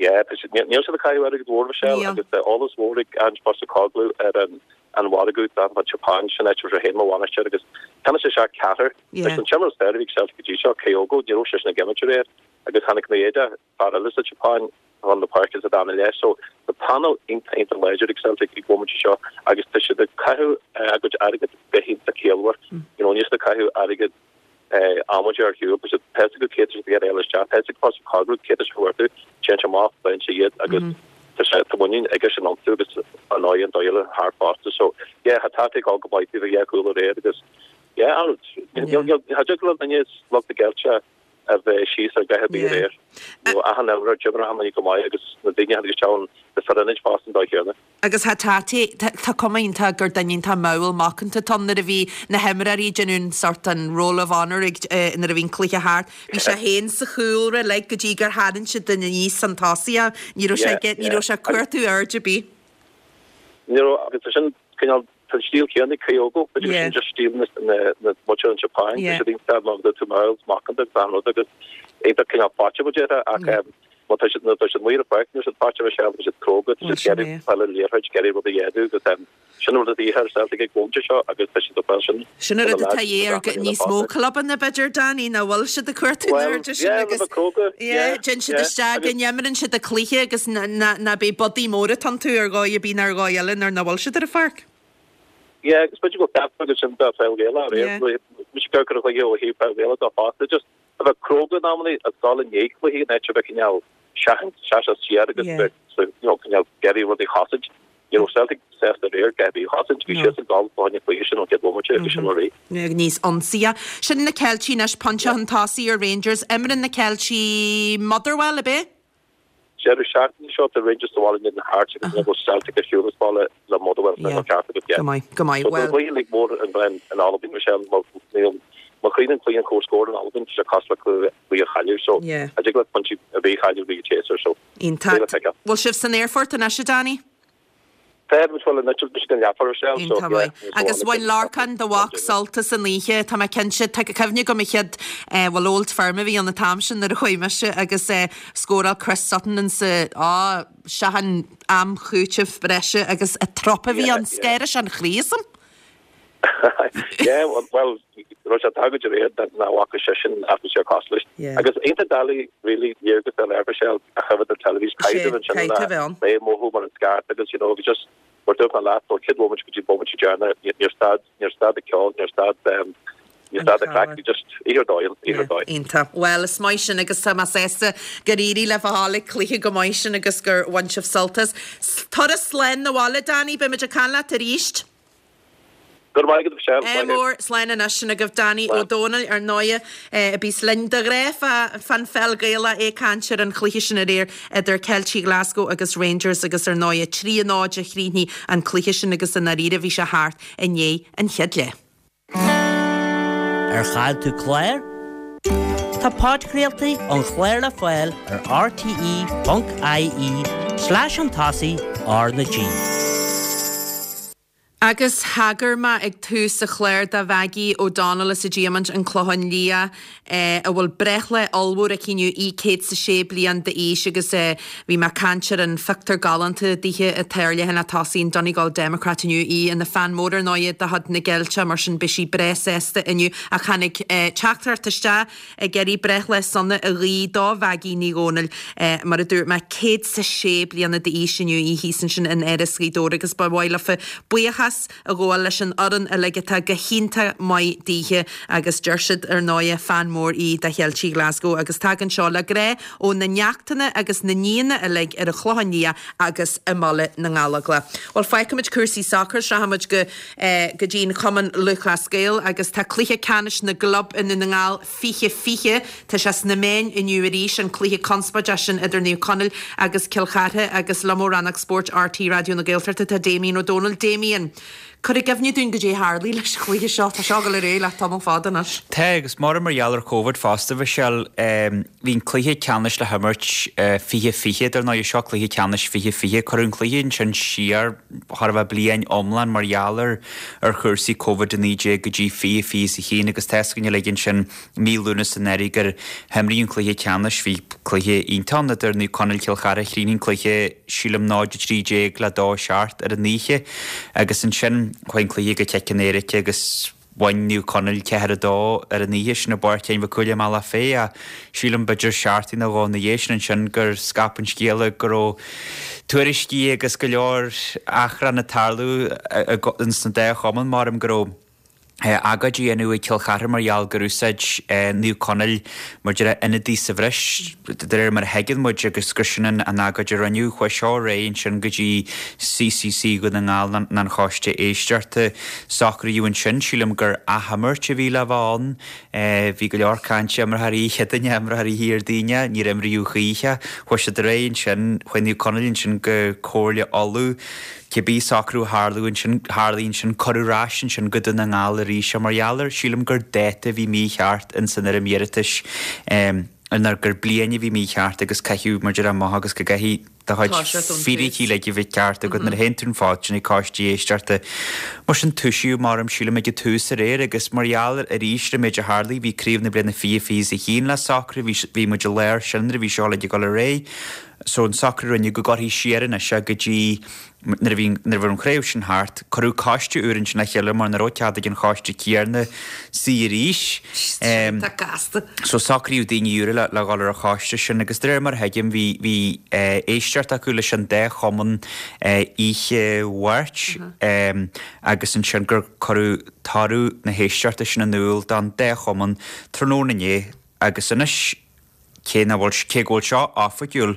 Yeah, tá siad, níl siad ag caitheamh airgead mhór, Michelle, Níl. agus tá eolas mhór ag Ange Postecoglou ar an an mhargadh don tSeapáin, sin áit a raibh sé féin mar bhainisteoir agus cheannaigh sé isteach ceathrar. Yeah. Leis an t-imreoir is fearr a bhí ag Celtic go dtí seo, Kyogo, ní raibh seisean ag imirt aréir agus tháinig Maeda, fear eile sa tSeapáin, chun na páirce sa dara leath. So tá panel iontach iontach láidir ag Celtic ag bhomaite seo agus tá siad ag caitheamh a gcuid airgead go hiontach ciallmhar. You know, níl siad ag caitheamh airgead amaideach ar shiúl. Tá siad tá a fhios acu cé tá siad ag iarraidh a fháil isteach. Tá a fhios ag Postecoglou cé tá sé a chuartú. Téann sé amach, faigheann sé iad agus tá sé tá muinín aige sin iontu agus ar ndóigh an dóigh eile thart fosta. So yeah, Hatate ag dul go maith taobh a dhá chúl aréir agus yeah, an níl níl cha dtig le duine lucht na gCeilteach a bheith síos ar dhath ar bith aréir. Nó achan imreoir, d'imir achan duine go maith agus na daoine a tháinig isteach ann, na fir ionaid fosta an dóigh chéanna. Agus Hatate, tá cuma iontach gur duine iontach mall macánta atá ann. Nuair a bhí na himreoirí ag déanamh an sort an roll of honour ag nuair a bhí an cluiche thart, bhí sé féin sa chúlra like go dtí gur tharraing siad duine aníos chun tosaigh é. Ní raibh sé ag, ní raibh sé ag cuartú aird ar bith. Ní raibh agus tá sin cineál Tá an stíl chéanna ag Kyogo, b'fhéidir sin just stíl na muintire an tSeapáin, tá siad iontach mar tú mall macánta agus an rud agus iontach cineál faighte mo déarfá ach má tá siad nuair atá siad amuigh ar an pháirc níl siad faighte a bheith tá siad cróga, tá siad ag iarraidh fáil an liathróid, ag iarraidh rud a dhéanamh agus sin an rud atá de dhíth ar Celtic ag bhomaite seo agus tá siad ag fáil sin. Sin an rud atá de dhíth ar níos mó clubanna b'fhéidir Danny nach bhfuil siad ag cuartú na hairde sin agus téann siad isteach go n-imríonn siad an cluiche agus ná beidh budaí móra atá iontu ar dhóigh ar bith ná ar dhóigh eile nuair nach bhfuil siad ar an pháirc. Yeah agus b'fhéidir go bhfuil ceart agat sin dá pheil Ghaelach aréir. Mise ag cur an chluiche ó thaobh peil Ghaelach dó fosta just a bheith cróga in amannaí agus dul i ndiaidh cluichí in áit a bheith cineál seachaint seasamh siar agus bheith you know cineál ag iarraidh rudaí a chosaint. Ní raibh Celtic sásta aréir a dhath ar bith a chosaint, bhí siadsan ag dul fá choinne cluiche sin ón chéad bhomaite agus sin mar í. Níos ionsaithe. Sin na Ceiltigh anois, pointe chun tosaigh ar Rangers. Imríonn na Ceiltigh Motherwell, ab ea? Deireadh seachtaine seo tá Rangers sa bhaile in éadan Hearts agus ansin beidh Celtic ar shiúl as baile le Motherwell san Yeah. ceart agat, yeah. Go maith, go maith. So Well. tá cluiche uilig mór in in Albain, Michelle, má níl má chríochnaíonn cluiche an comhscór in Albain, tá sé cosúil le cluiche cluiche a chailleadh, so Yeah. cha dtig leat pointí ar bith a chailleadh roimh an tséasúr, so Iontach. beidh le feiceáil. Bhfuil sibh san aerfort anois, a Danny? Tá muid fuil anois ag an leathuair ar seal so Iontach yeah. maith. Agus bhain Lorcán do mhac sult as an oíche, tá mé cinnte. Tá cuimhne agam an chéad, bhuel Old Firm a bhí ann an t-am sin nuair a chuaigh mise agus scóráil Chris Sutton insa, á, seachan am chúitimh breise agus an trup a bhí ann, scanraigh sé an chroí asam. Yeah, well, raibh sé tagaid aréir nach bhfaca seisean atmaisféar cosúil leis. Yeah. Agus iontach doiligh really léargas a fháil air Michelle a choimhéad ar teilifís Sé, caithfidh ansin caithfidh a bheith ann. é mothú mar an scairt agus you know agus just mar dúirt mé leat ó chéad bhomaite go dtí bomaite deireanach níor stad níor stad an ceol níor stad um, níor stad an craic bhí just oíche ar dóigh ann, oíche ar dóigh. Iontach. Bhuel, is maith sin agus tá mé sásta gur éirigh libh a ghabháil ag cluiche go maith sin agus gur bhain sibh sult as. Turas slán 'na bhaile, Danny, beimid ag caint leat arís. Go raibh maith agat, a Mhichelle. Ádh mór, slán anois. Sin agaibh Danny Ó Dónaill, ar ndóighe, a bíos linn de ghnáth fán pheil Ghaelach, é ag caint ar an chluiche sin aréir idir Ceiltigh Glasgow agus Rangers agus ar ndóighe 3 0 a chríochnaigh an cluiche sin agus i ndáiríre bhí sé thart i ndiaidh an chéad leath. Ar chaill tú clár? Tá podchraoltaí an chláir le fáil ar rte.ie slash chun tosaigh R na G. Agus thagair mé ag tús an chláir do Mhaggie O'Donnell as an Diamant, An Clochán Liath, a bhfuil breithlá ollmhór aici inniu, í 106 bliain d'aois agus bhí mé ag caint ar an phictiúr galánta dithe atá ar leathanach tosaigh an Donegal Democrat inniu, í ina fan mór ar ndóighe de chuid na gCeilteach mar sin beidh sí breá sásta inniu. Ach tháinig teachtaireacht isteach ag iarraidh breithlá sona a ghuí do Mhaggie Ní Dhomhnaill, mar a dúirt mé, 106 bliana d'aois inniu í thíos ansin in Áras Ghaoth Dobhair agus ba mhaith leofa buíochas a ghabháil leis an fhoireann uilig atá go hiontach maith daoithe agus deir siad ar ndóighe fan mór í de Cheiltigh Glasgow agus tagann seo le grá ó na neachtanna agus na nianna uilig ar an Chlochán Liath agus i mBaile na nGallóglach. Bhuel fágfaimid cúrsaí sacair, sroichfimid go. go dtí an Chumann Lúthchleas Gael agus tá cluiche ceannais na gclub i nDún na nGall 2020, tá sé sna meáin inniu arís, an cluiche conspóideach sin idir Naomh Conaill agus Cill Chartha agus liom ó Rannóg Spóirt RTÉ Raidió na Gaeltachta tá Damien Ó Dónaill. Damien, cuir i gcuimhne dúinn goidé a tharlaigh leis an chluiche seo, tá seo ag dul ar aghaidh le tamall fada anois. Tá, agus mar mar gheall ar Covid fosta, Michelle, Bhí an cluiche ceannais le himirt 2020, dar ndóigh, seo cluiche ceannais 2020. Cuireadh an cluiche ansin siar chóir a bheith bliain iomlán mar gheall ar ar chúrsaí Covid-19 go dtí 2021 agus tá a fhios againn uilig ansin mí Lúnasa anuraidh gur himríodh an cluiche ceannais. Bhí cluiche iontach ann idir Naomh Conaill Cill Chartha. Chríochnaigh an cluiche sílim 0-13 le 2-7 ar an oíche agus ansin chuaigh an cluiche go ciceanna éirice agus Bhain Naomh Conaill 4, 2 ar an oíche sin i bPáirc Sheáin Mhic Cumhaill i mBealach Féich ach sílim b'fhéidir seachtain nó dhó ina dhiaidh sin ansin gur scaip an scéala go raibh tuairiscí agus go leor achrann ag tarlú ins na dá chumann maram go raibh agóid á dhéanamh ag Cill Chartha mar gheall gur úsáid Naomh Conaill mar déarfá ionadaí sa bhreis de réir mar a thuigeann muid agus gur sin an agóid a rinneadh. Chuaigh seo ar aghaidh ansin go dtí CCC Dhún na nGall ná an Choiste Éisteachta. Socraíodh ansin, sílim gur athimirt a bhí le bheith ann. Bhí go leor cainte, imreofar oíche Chéadaoine, imreofar oíche Dhéardaoine, níor imríodh choíche. Chuaigh siad ar aghaidh ansin, chuaigh Naomh Conaill ansin go Comhairle Uladh. Cibé socrú a tharlú ansin, tharlaigh ansin, cuireadh ar ais ansin go Dún na nGall arís é mar gheall ar, sílim gur dáta a bhí mícheart ins an fhoirm iarratais, nó gur bliain a bhí mícheart agus caitheadh mar déarfá amach agus go gcaithfidh do chuid fíricí uilig a bheith ceart agat nuair a théann tú an fód sin ag coiste éisteachta. Mar sin toisíodh maram sílim ag an tús aréir agus mar gheall ar arís ar an méid a tharlaigh bhí craobh na bliana 2021 le socrú, bhí bhí muid i lár sin nuair a bhí seo uilig ag dul ar aghaidh. So an socrú a rinneadh go gcuirfí siar anois é go dtí nuair a bhí nuair a bhí an chraobh sin thart, cuireadh coiste úr ansin le chéile mar nach raibh cead ag an choiste céanna suí arís. Tá gasta. So socraíodh daoine úra le le dhul ar an choiste sin agus de réir mar a thuigim bhí bhí éisteacht acu leis an dá chumann oíche Mháirt agus ansin gur cuireadh toradh na héisteachta sin in iúl don dá chumann tráthnóna inné agus anois Cé nach bhfuil, cé go bhfuil seo oifigiúil,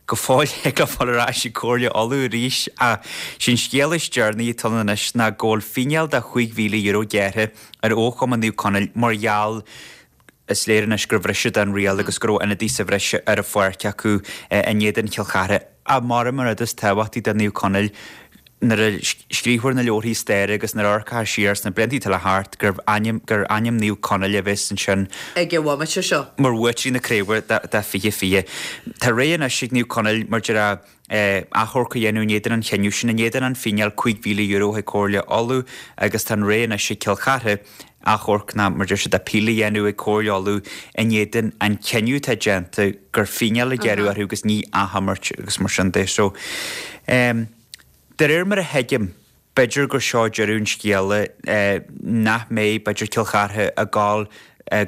go fóill ag dul ar ais ag Comhairle Uladh arís ach sé'n scéal is deireanaí atá ann anois ná go bhfuil fíneáil de €5,000 gearrtha ar fhochumann Naomh Conaill mar gheall is léir anois gur bhris siad an riail agus go raibh ionadaí sa bhreis ar an pháirc acu in éadan Chill Chartha. Ach maram an rud is tábhachtaí do Naomh Conaill. Nuair a scríobhfar na leabharthaí staire agus nuair a amharcfar siar sna blianta atá le theacht gur ainm gur ainm Naomh Conaill a bheas ansin ag an bhomaite seo. mar bhuaiteoirí na craoibhe do 2020. Tá rogha anois ag Naomh Conaill mar déarfá achomharc a dhéanamh in éadan an chinnidh sin, in éadan an fíneáil €5,000 chuig Comhairle Uladh agus tá an rogha anois ag Cill Chartha achomharc nó mar deir siad appeal a dhéanamh ag Comhairle Uladh in éadan an chinneadh atá déanta gur fíneáil a gearradh orthu agus ní athimirt agus mar sin de. So, de réir mar a thuigim, b'fhéidir gur seo deireadh an scéala, nach mbeidh b'fhéidir Cill Chartha ag gabháil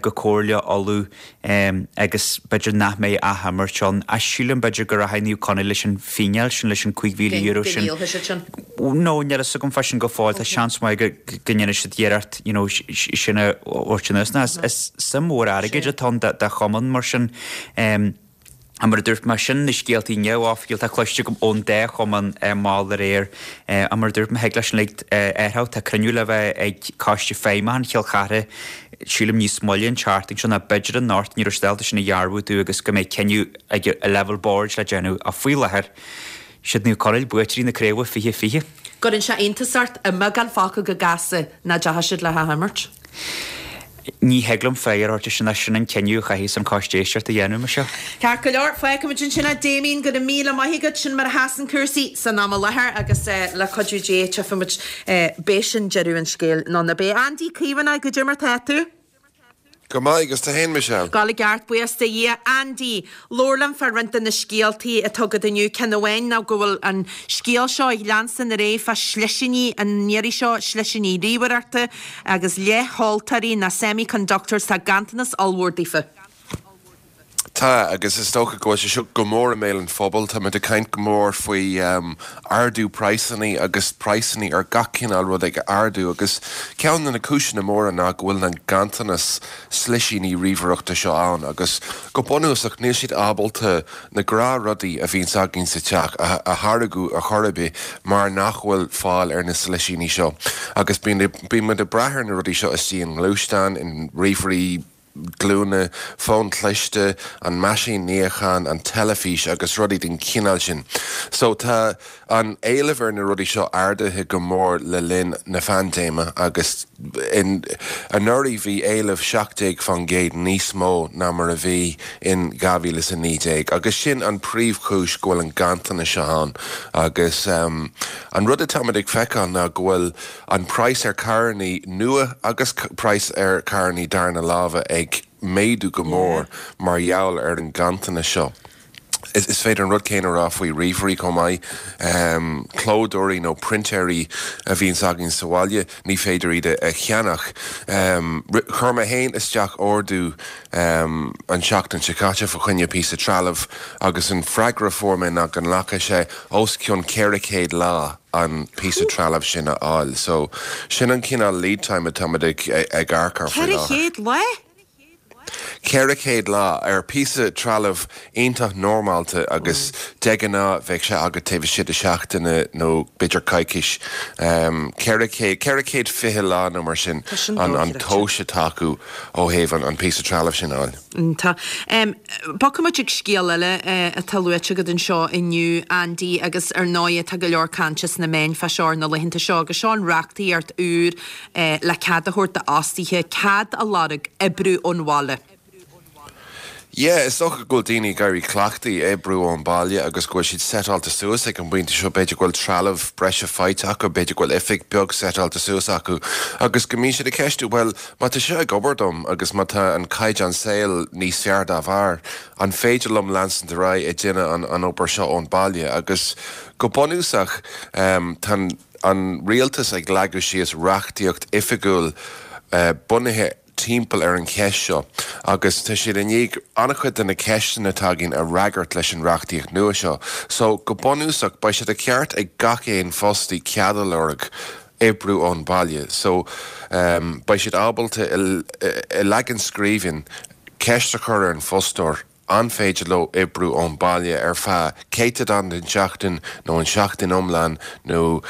go Comhairle Uladh agus b'fhéidir nach mbeidh athimirt ann. Ach sílim b'fhéidir go rachaidh Naomh Conaill leis an bhfíneáil sin, leis an €5,000 sin. Go ndíolfaidh siad sin. No, níl a fhios agam fá sin go fóill. Tá seans maith go ndéanfaidh siad iarracht you know sin a thabhairt anuas. Ná is suim mhór airgid atá ann do chumann mar sin. Mar a dúirt mé, sin na scéaltaí neamhoifigiúil atá cloiste agam ón dá chumann mall aréir. Mar a dúirt mé, thig leis an uilig athrú. Tá cruinniú le bheith ag Coiste Feidhmiúcháin Chill Chartha, sílim níos moille an tseachtain seo, nó b'fhéidir anocht, ní raibh siad ábalta sin a dhearbhú domh agus go mbeidh cinneadh ag an leibhéal boird le déanamh. Ach faoi láthair, siad Naomh Conaill buaiteoirí na craoibhe 2020. Gcuireann sé iontas ort i mbeagán focal go gasta nach dteachaigh siad le hathimirt. Ní thig liom fáth a thabhairt air sin ach sin an cinneadh a chaithfeas an Coiste Éisteachta a dhéanamh, Michelle. Ceart go leor, fágfaimid ansin é. Damien, go raibh míle maith agat. Sin mar a sheasann cúrsaí san am i láthair agus le cuidiú Dé tchífimid b'é sin deireadh an scéil nó ná beidh. Andy Caomhánach, goidé mar tá tú? Go maith, agus tú fhéin, Michelle? Ag gabháil i gceart, buíochas do Dhia. Andy, labhair liom fá roinnt de na scéaltaí atá agat inniu. Ceann amháin ná go bhfuil an scéal seo ag leanstan ar aghaidh fá shlisíní an iarraidh seo, slisíní ríomhaireachta agus leathsheoltóirí ná semiconductors, tá ganntanas ollmhór daofa. Tá, agus is dócha go bhfuil sé seo go mór i mbéal an phobail. Tá muid ag caint go mór faoi ardú praghsanna agus praghsanna ar gach cineál rud ag ardú agus ceann de na cúiseanna móra ná go bhfuil an ganntanas slisíní ríomhaireachta seo ann agus go bunúsach níl siad ábalta na gnáthrudaí a bhíonns againn sa teach a tháirgeadh ar chor ar bith mar nach bhfuil fáil ar na slisíní seo agus bíonn muid ag brath ar na rudaí seo istigh i ngluaisteáin, in ríomhairí. glúine, fón cliste, an meaisín níocháin, an teilifís agus rudaí den chineál sin. So tá an éileamh ar na rudaí seo ardaithe go mór le linn na phaindéime agus in anuraidh bhí éileamh 17% níos mó ná mar a bhí in 2019 agus sin an príomhchúis go bhfuil an ganntanas seo ann agus an rud atáimid ag feiceáil ná go bhfuil An praghas ar carrannaí nua agus praghas ar carrannaí darna láimhe ag méadú go mór mar gheall ar an ganntanas seo. Is féidir an rud céanna a rá faoi ríomhairí chomh maith. Clódóirí nó printéirí a bhíonns againn sa bhaile, ní féidir iad a cheannach. Chuir mé féin isteach ordú an tseachtain seo caite fa choinne píosa trealaimh agus an freagra a fuair mé ná go nglacfaidh sé os cionn 400 lá. an píosa trealaimh sin a fháil. So, sin an cineál lead time atáimid ag ag amharc air faoi láthair. 400 lá? 400 lá ar píosa trealaimh iontach normálta agus de ghnáth bheadh sé agat taobh istigh de seachtaine nó b'fhéidir coicís. 400, 420 lá nó mar sin an an tomhas atá acu ó thaobh an píosa trealaimh sin a fháil. Iontach. Bogfaidh muid ag scéal eile atá luaite agat anseo inniu, Andy, agus ar ndóigh tá go leor cainte sna meáin fá seo ar na laethanta seo agus seo an reachtaíocht úr le cead a thabhairt d'fhostaithe cead a lorg oibriú ón bhaile. Yeah, is dócha go bhfuil daoine ag éirí cleachtaithe oibriú ón baile agus go bhfuil siad seiteáilte suas ag an bpointe seo, b'fhéidir go bhfuil trealamh breise faighte acu, b'fhéidir go bhfuil oifig beag seiteáilte suas acu agus go mbíonn siad ag ceistiú, bhuel, Má tá seo ag obair dom agus má tá an caighdeán saoil níos fearr dá bharr, an féidir liom leanstant ar aghaidh ag déanamh an obair seo ón baile? Agus go bunúsach, tá an rialtas ag leagadh síos reachtaíocht oifigiúil bunaithe timpeall ar an cheist seo agus tá siad i ndiaidh an-chuid de na ceisteanna atá againn a fhreagairt leis an reachtaíocht nua seo. So, go bunúsach, beidh sé de cheart ag gach aon fostaí cead a lorg oibriú ón baile so beidh siad ábalta i leagan scríbhinn ceist a chur ar an bhfostóir an féidir leo oibriú ón baile ar feadh céatadán den tseachtain nó an seachtain iomlán nó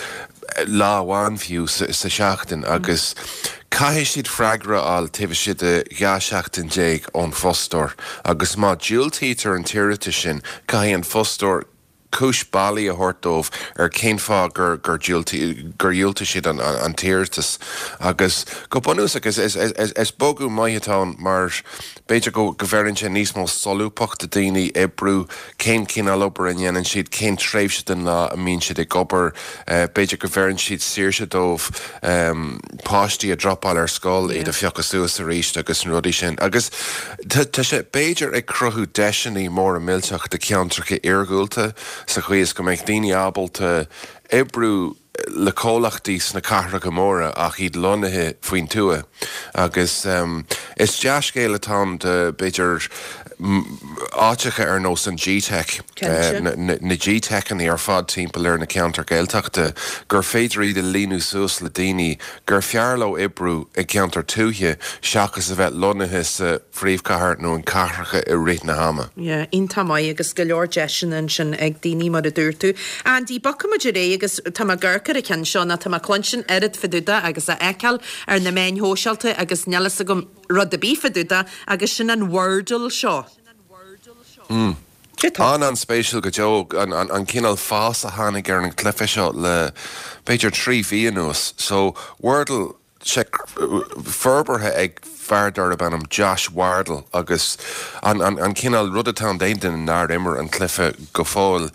lá amháin fiú sa seachtain agus caithfidh siad freagra a fháil taobh istigh de 12 seachtain ón bhfostóir agus má diúltaítear an t-iarratas sin caithfidh an fostóir. cúis bailí a thabhairt dóibh ar cén fáth gur gur dhiúltaigh siad an t-iarratas. Agus go bunúsach is is bogadh maith atá ann mar b'fhéidir go go bheireann sé níos mó solúbthacht do daoine oibriú, cén cineál obair a ndéanann siad, cén tréimhse den lá a mbíonn siad ag obair, b'fhéidir go bheireann siad saoirse dóibh páistí a dhropáil ar scoil, iad a phiocadh suas arís agus na rudaí sin. Agus tá sé b'fhéidir ag cruthú deiseanna móra millteacha do cheantracha iargúlta sa chaoi is go mbeidh daoine ábalta oibriú le comhlachtaí sna cathracha móra ach iad lonnaithe faoin tuath. Agus is dea-scéal atá ann do, b'fhéidir, áiteacha ar nós an G-Teic, na G-Teiceanna ar fad timpeall ar na ceantair Gaeltachta, gur féidir iad a líonadh suas le daoine gur fearr leo oibriú i gceantar tuaithe seachas a bheith lonnaithe sa phríomhchathair nó in cathracha i rith na hama. Yeah, iontach maith agus go leor deiseanna ansin ag daoine mar a dúirt tú. Andy, bogfaidh muid ar aghaidh agus tá mé ag amharc ar an cheann seo nó tá mé ag cluinstin oiread fá dtaobh de agus á fheiceáil ar na meáin shóisialta agus níl fhios agam rud ar bith fá dtaobh de agus sin an Wordle seo. Mm. An-an-spéisiúil go deo an cineál fás a tháinig ar an chluiche seo le b'fhéidir 3 mhí anuas. So, Wordle, sé forbartha ag fear darb ainm Josh Wardle agus an an cineál rud atá ann d'aon duine nár imir an cluiche go fóill,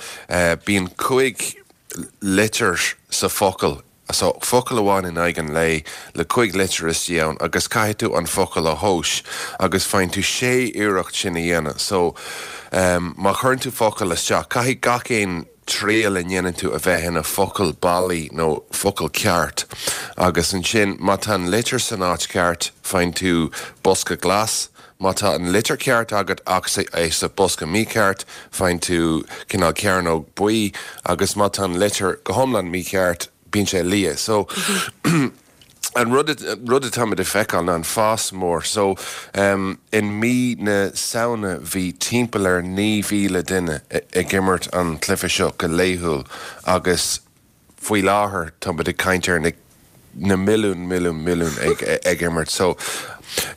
bíonn 5 litir sa focal, so focal amháin in aghaidh an lae le 5 litir istigh ann agus caithfidh tú an focal a thomhas agus faigheann tú sé iarracht sin a dhéanamh. So má chuireann tú focal isteach, caithfidh gach aon triail a ndéanann tú a bheith ina focal bailí nó focal ceart agus ansin má tá an litir san áit cheart faigheann tú bosca glas, má tá an litir ceart agat ach é sa bosca mícheart faigheann tú cineál cearnóg buí agus má tá an litir go hiomlán mícheart bíonn sé liath. So. An rud rud atáimid ag feiceáil ná an fás mór. So, in mí na Samhna bhí timpeall ar 9,000 duine ag imirt an chluiche seo go laethúil agus faoi láthair táimid ag caint ar na na milliúin, milliúin, milliúin ag ag imirt. So,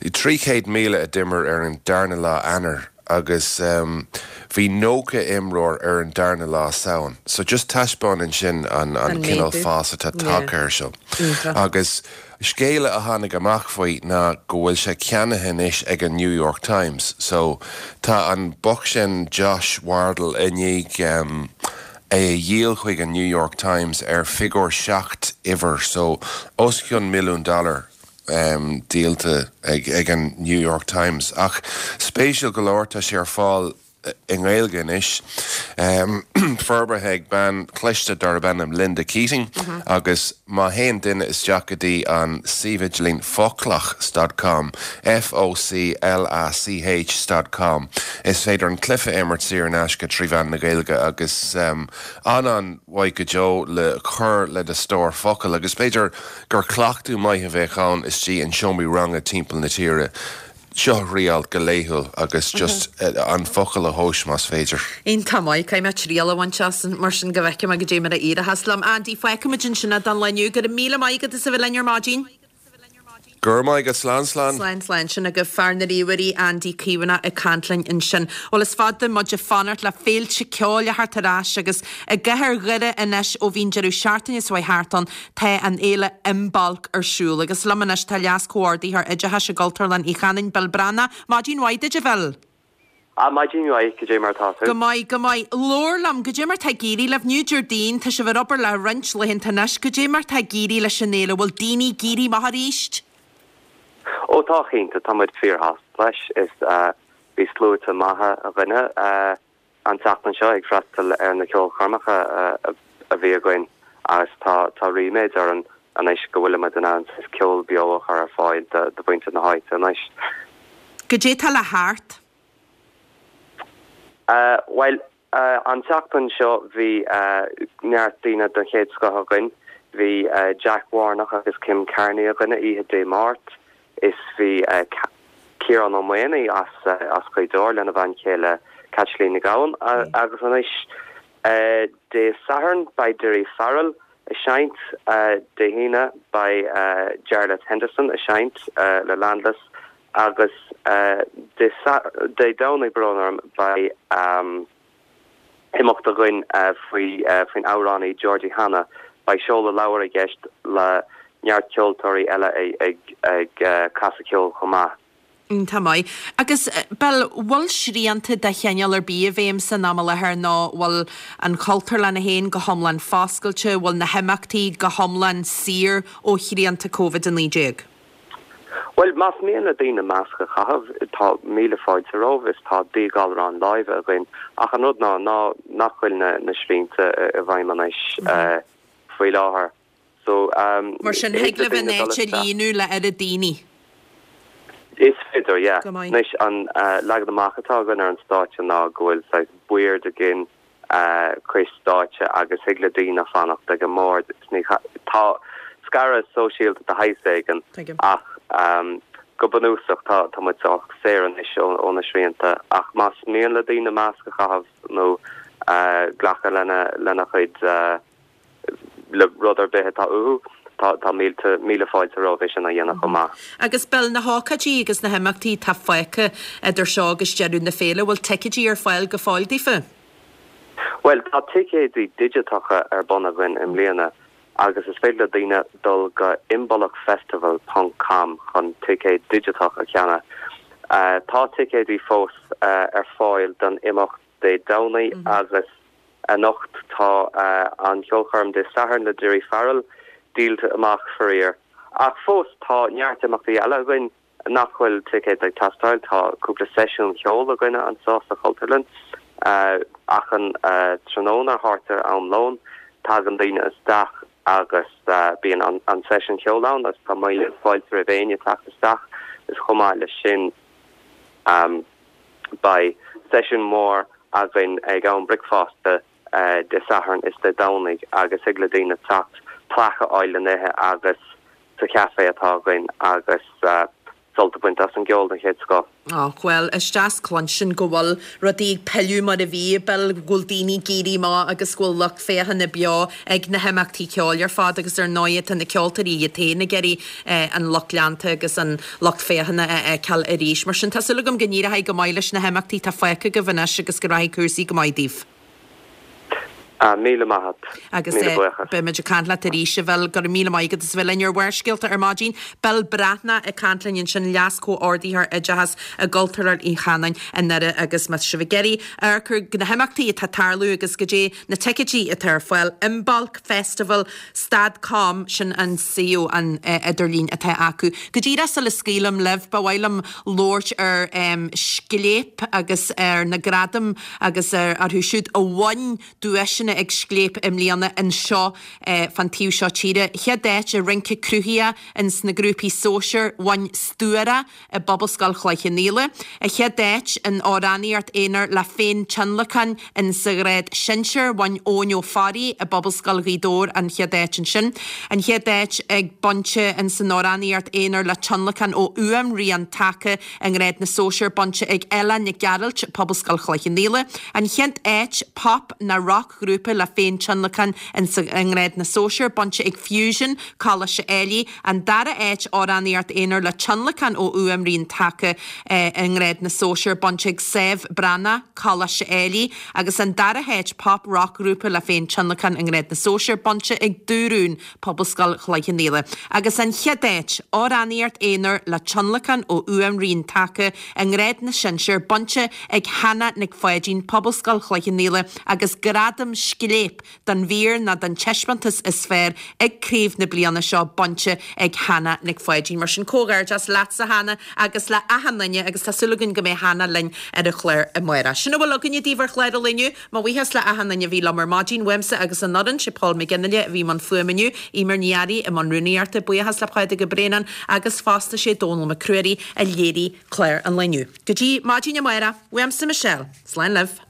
300,000 a d'imir ar an darna lá Eanáir. agus bhí 90 imreoir ar an darna lá Samhain. So just taispeánann sin an an cineál fás atá tagtha air seo. Agus scéala a tháinig amach faoi ná go bhfuil sé ceannaithe anois ag an New York Times. So tá an boc sin Josh Wardle i ndiaidh é a dhíol chuig an New York Times ar figiúr 7 uimhir, so os cionn milliún dollar. díolta ag an New York Times. Ach spéisiúil go leor, tá sé ar fáil i nGaeilge anois, forbartha ag bean chliste darb ainm Linda Keating, agus má théann duine isteach go dtí an suíomh idirlín foclach dot com, F-O-C-L-A-C-H dot com, is féidir an cluiche a imirt saor in aisce trí mheán na Gaeilge agus an-an-mhaith go deo le cur le do stór focal agus b'fhéidir gur cleachtadh maith a bheadh ann istigh in seomraí ranga timpeall na tíre. Seo a thriáil go laethúil agus just an focal a thomhas más féidir. Iontach maith. Caithfidh mé triail a bhaint as mar sin go bhfeicfidh mé goidé mar a éireochas liom. Andy, fágfaimid ansin é don lá inniu. Go raibh míle maith agat as a bheith linn ar maidin. Go raibh maith agat. Slán, slán. Slán, slán. Sin agaibh fear na ríomhairí, Andy Caomhánach ag caint linn ansin. Bhuel, is fada muid ag fanacht le féilte ceoil a theacht ar ais agus i gcathair Dhoire anois ó bhí an deireadh seachtaine seo thart ann tá an fhéile Imbolc ar siúl. Agus liom anois tá Leas-Chomhordaitheoir Oideachais i gCultúrlann Uí Chanáin, Bill Breathnach. Maidin mhaith duit, a Bhill. Ah, maidin mhaith, goidé mar atá tú? Go maith, go maith. Labhair liom, goidé mar tá ag éirí libh? Inniu Déardaoin, tá sibh ar obair le roinnt laethanta anois, goidé mar tá ag éirí leis an fhéile? Bhfuil daoine ag éirí amach arís? Ó tá, cinnte, tá muid fíorshásta leis. Is bhí sluaite maithe dhaoine an tseachtain seo ag freastal ar na ceolchoirmeacha a bhí againn agus tá tá ríméad orainn anois go bhfuilimid in ann saghas ceol beo a chur ar fáil do mhuintir na háite anois. Goidé tá le theacht? Bhuel, an tseachtain seo bhí neart daoine den chéad scoth againn. Bhí Jack Warnock agus Kim Carney againne oíche Dé Máirt is bhí Ciarán Ó Maonaigh as Gaoth Dobhair lena bhean chéile Caitlín Nic Gabhann agus anois Dé Sathairn beidh Daoirí Farrell ag seinnt, Dé hAoine beidh Jarlath Henderson ag seinnt le Landless Agus Dé Domhnaigh, brón orm, beidh Imeacht againn faoi faoin amhránaí Georgie Hanna. Beidh seoladh leabhair i gceist le neart ceoltóirí eile ag ag casadh ceoil chomh maith. Iontach maith. Agus, Bill, bhfuil srianta de chineál ar bith i bhfeidhm san am i láthair nó bhfuil an Chultúrlann féin go hiomlán foscailte, bhfuil na himeachtaí go hiomlán saor ó shrianta Covid-19? Bhuel, más mian le daoine masc a chaitheamh, tá míle fáilte romhaibh is tá díghalrán láimhe againn ach an rud ná ná nach bhfuil na na srianta i bhfeidhm anois faoi láthair. So, Mar sin, thig thig libh an áit a líonadh le oiread daoine? Is féidir, yeah. Go maith. Anois, an leagan amach atá againn ar an stáitse ná go bhfuil saghas boird againn cois stáitse agus thig le daoine fanacht ag an mbord. Is ní, tá scaradh sóisialta de shaghas éigin Tuigim. ach go bunúsach tá, tá muid sách saor anois ó na srianta. Ach más mian le daoine masc a chaitheamh nó glacadh lena, lena chuid, le rud ar bith atá uathu, tá mílte, míle fáilte romhaibh é sin a dhéanamh chomh maith. Agus Bill, na hócáidí agus na himeachtaí atá fágtha idir seo agus deireadh na féile, bhfuil ticéidí ar fáil go fóill daofa? Bhuel, tá ticéidí digiteacha ar bun againn i mbliana agus is féidir le daoine dul go imbolcfestival ponc com chun ticéad digiteach a cheannach. Tá ticéidí fós ar fáil don imeacht Dé Domhnaigh agus Anocht tá an cheolchoirm Dé Sathairn le Daoirí Farrell díolta amach, faraor. Ach fós tá neart imeachtaí eile againn nach bhfuil ticéad ag teastáil. Tá cúpla seisiún ceoil againne anseo sa Chultúrlann. Achan tráthnóna thart ar am lóin tagann daoine isteach agus bíonn an seisiún ceoil ann agus tá míle fáilte roimh éinne teacht isteach. Is chomh maith leis sin Beidh seisiún mór againn ag am bricfeasta Dé Sathairn is Dé Domhnaigh agus thig le daoine teacht, plaic a fháil le n-ithe agus sa chaifé atá againn agus sult a bhaint as an gceol den chéad scoth. Á, bhuel, is deas cluinstin go bhfuil rudaí ag pilleadh mar a bhí, Bill, go bhfuil daoine ag éirí amach agus go bhfuil lucht féachana beo ag na himeachtaí ceoil ar fad agus ar ndóigh tá na ceoltóirí iad féin ag iarraidh an lucht leanta agus an lucht féachana a fheiceáil arís. Mar sin, tá súil agam go n-éireoidh go maith leis na himeachtaí atá fágtha agaibh anois agus go rachaidh cúrsaí go maith daoibh. Ah, míle maith a't. Agus Míle buíochas. beimid ag caint leat arís, a Bhill. Go raibh míle maith agat as a bheith linn ar Bharrscéalta ar maidin. Bill Breathnach ag caint linn ansin, Leas-Chomhordaitheoir Oideachais i gCultúrlann Uí Chanáin i nDoire agus má tá sibh ag iarraidh amharc ar na himeachtaí atá ag tarlú agus goidé na ticéidí atá ar fáil, Imbolc Festival Stad com, sin an suíomh an idirlín atá acu. Go díreach sula scaoilim libh, ba mhaith liom labhairt ar Scléip agus ar na gradaim agus orthu siúd a bhain duaiseanna ag Scléip i mbliana anseo fán taobh seo tíre. Chéad áit i rince cruthaitheach ins na grúpaí sóisir, bhain Stuara i bPobalscoil Chloich Cheann Fhaola. An chéad áit in amhránaíocht aonair le féin-tionlacan in sa ghrád sinsir, bhain Eoin Ó Fearraigh i bPobalscoil Ghaoth Dobhair an chéad áit ansin. An chéad áit ag bainte in san amhránaíocht aonair le tionlacan ó fhuaimrian taca i ngrád na sóisear bainte ag Ella Nic Gearailt, Pobalscoil Chloich Cheann Fhaola. An chéad áit pop ná roc-ghrúpa le féin-tionlacan in sa i ngrád na sóisear bainte ag Fusion, Coláiste Ailigh. An dara háit, amhránaíocht aonair le tionlacan ó fhuaimrian taca i ngrád na sóisear, bainte ag Sadhbh Breathnach, Coláiste Ailigh, agus an dara háit, pop roc ghrúpa le féin tionlacan i ngrád na sóisear, bainte ag Dúrún, Pobalscoil Chloich Cheann Fhaola. Agus an chéad áit, amhránaíocht aonair le tionlacan ó fhuaimrian taca i ngrád na sinsear, bainte ag Hannah Nic Pháidín, Pobalscoil Chloich Cheann Fhaola, agus gradam Scléip don mhír ná don taispeántas is fearr ag craobh na bliana seo bainte ag Hannah Nic Pháidín. Mar sin, comhghairdeas leatsa Hannah agus le achan duine agus tá súil againn go mbeidh Hannah linn ar an chlár amárach. Sin a bhfuil againne daoibh ar chlár an lae inniu. Mo bhuíochas le achan duine a bhí liom ar maidin, uaimse agus an fhoireann, sé Paul McGinley a bhí i mbun fuaime inniu, Eimear Ní Fhearraigh i mbun rúnaíochta, buíochas le Pádraig Ó Braonáin agus fosta sé Dónal Mac Ruairí a léirigh clár an lae inniu. Go dtí maidin amárach, uaimse Michelle, slán libh.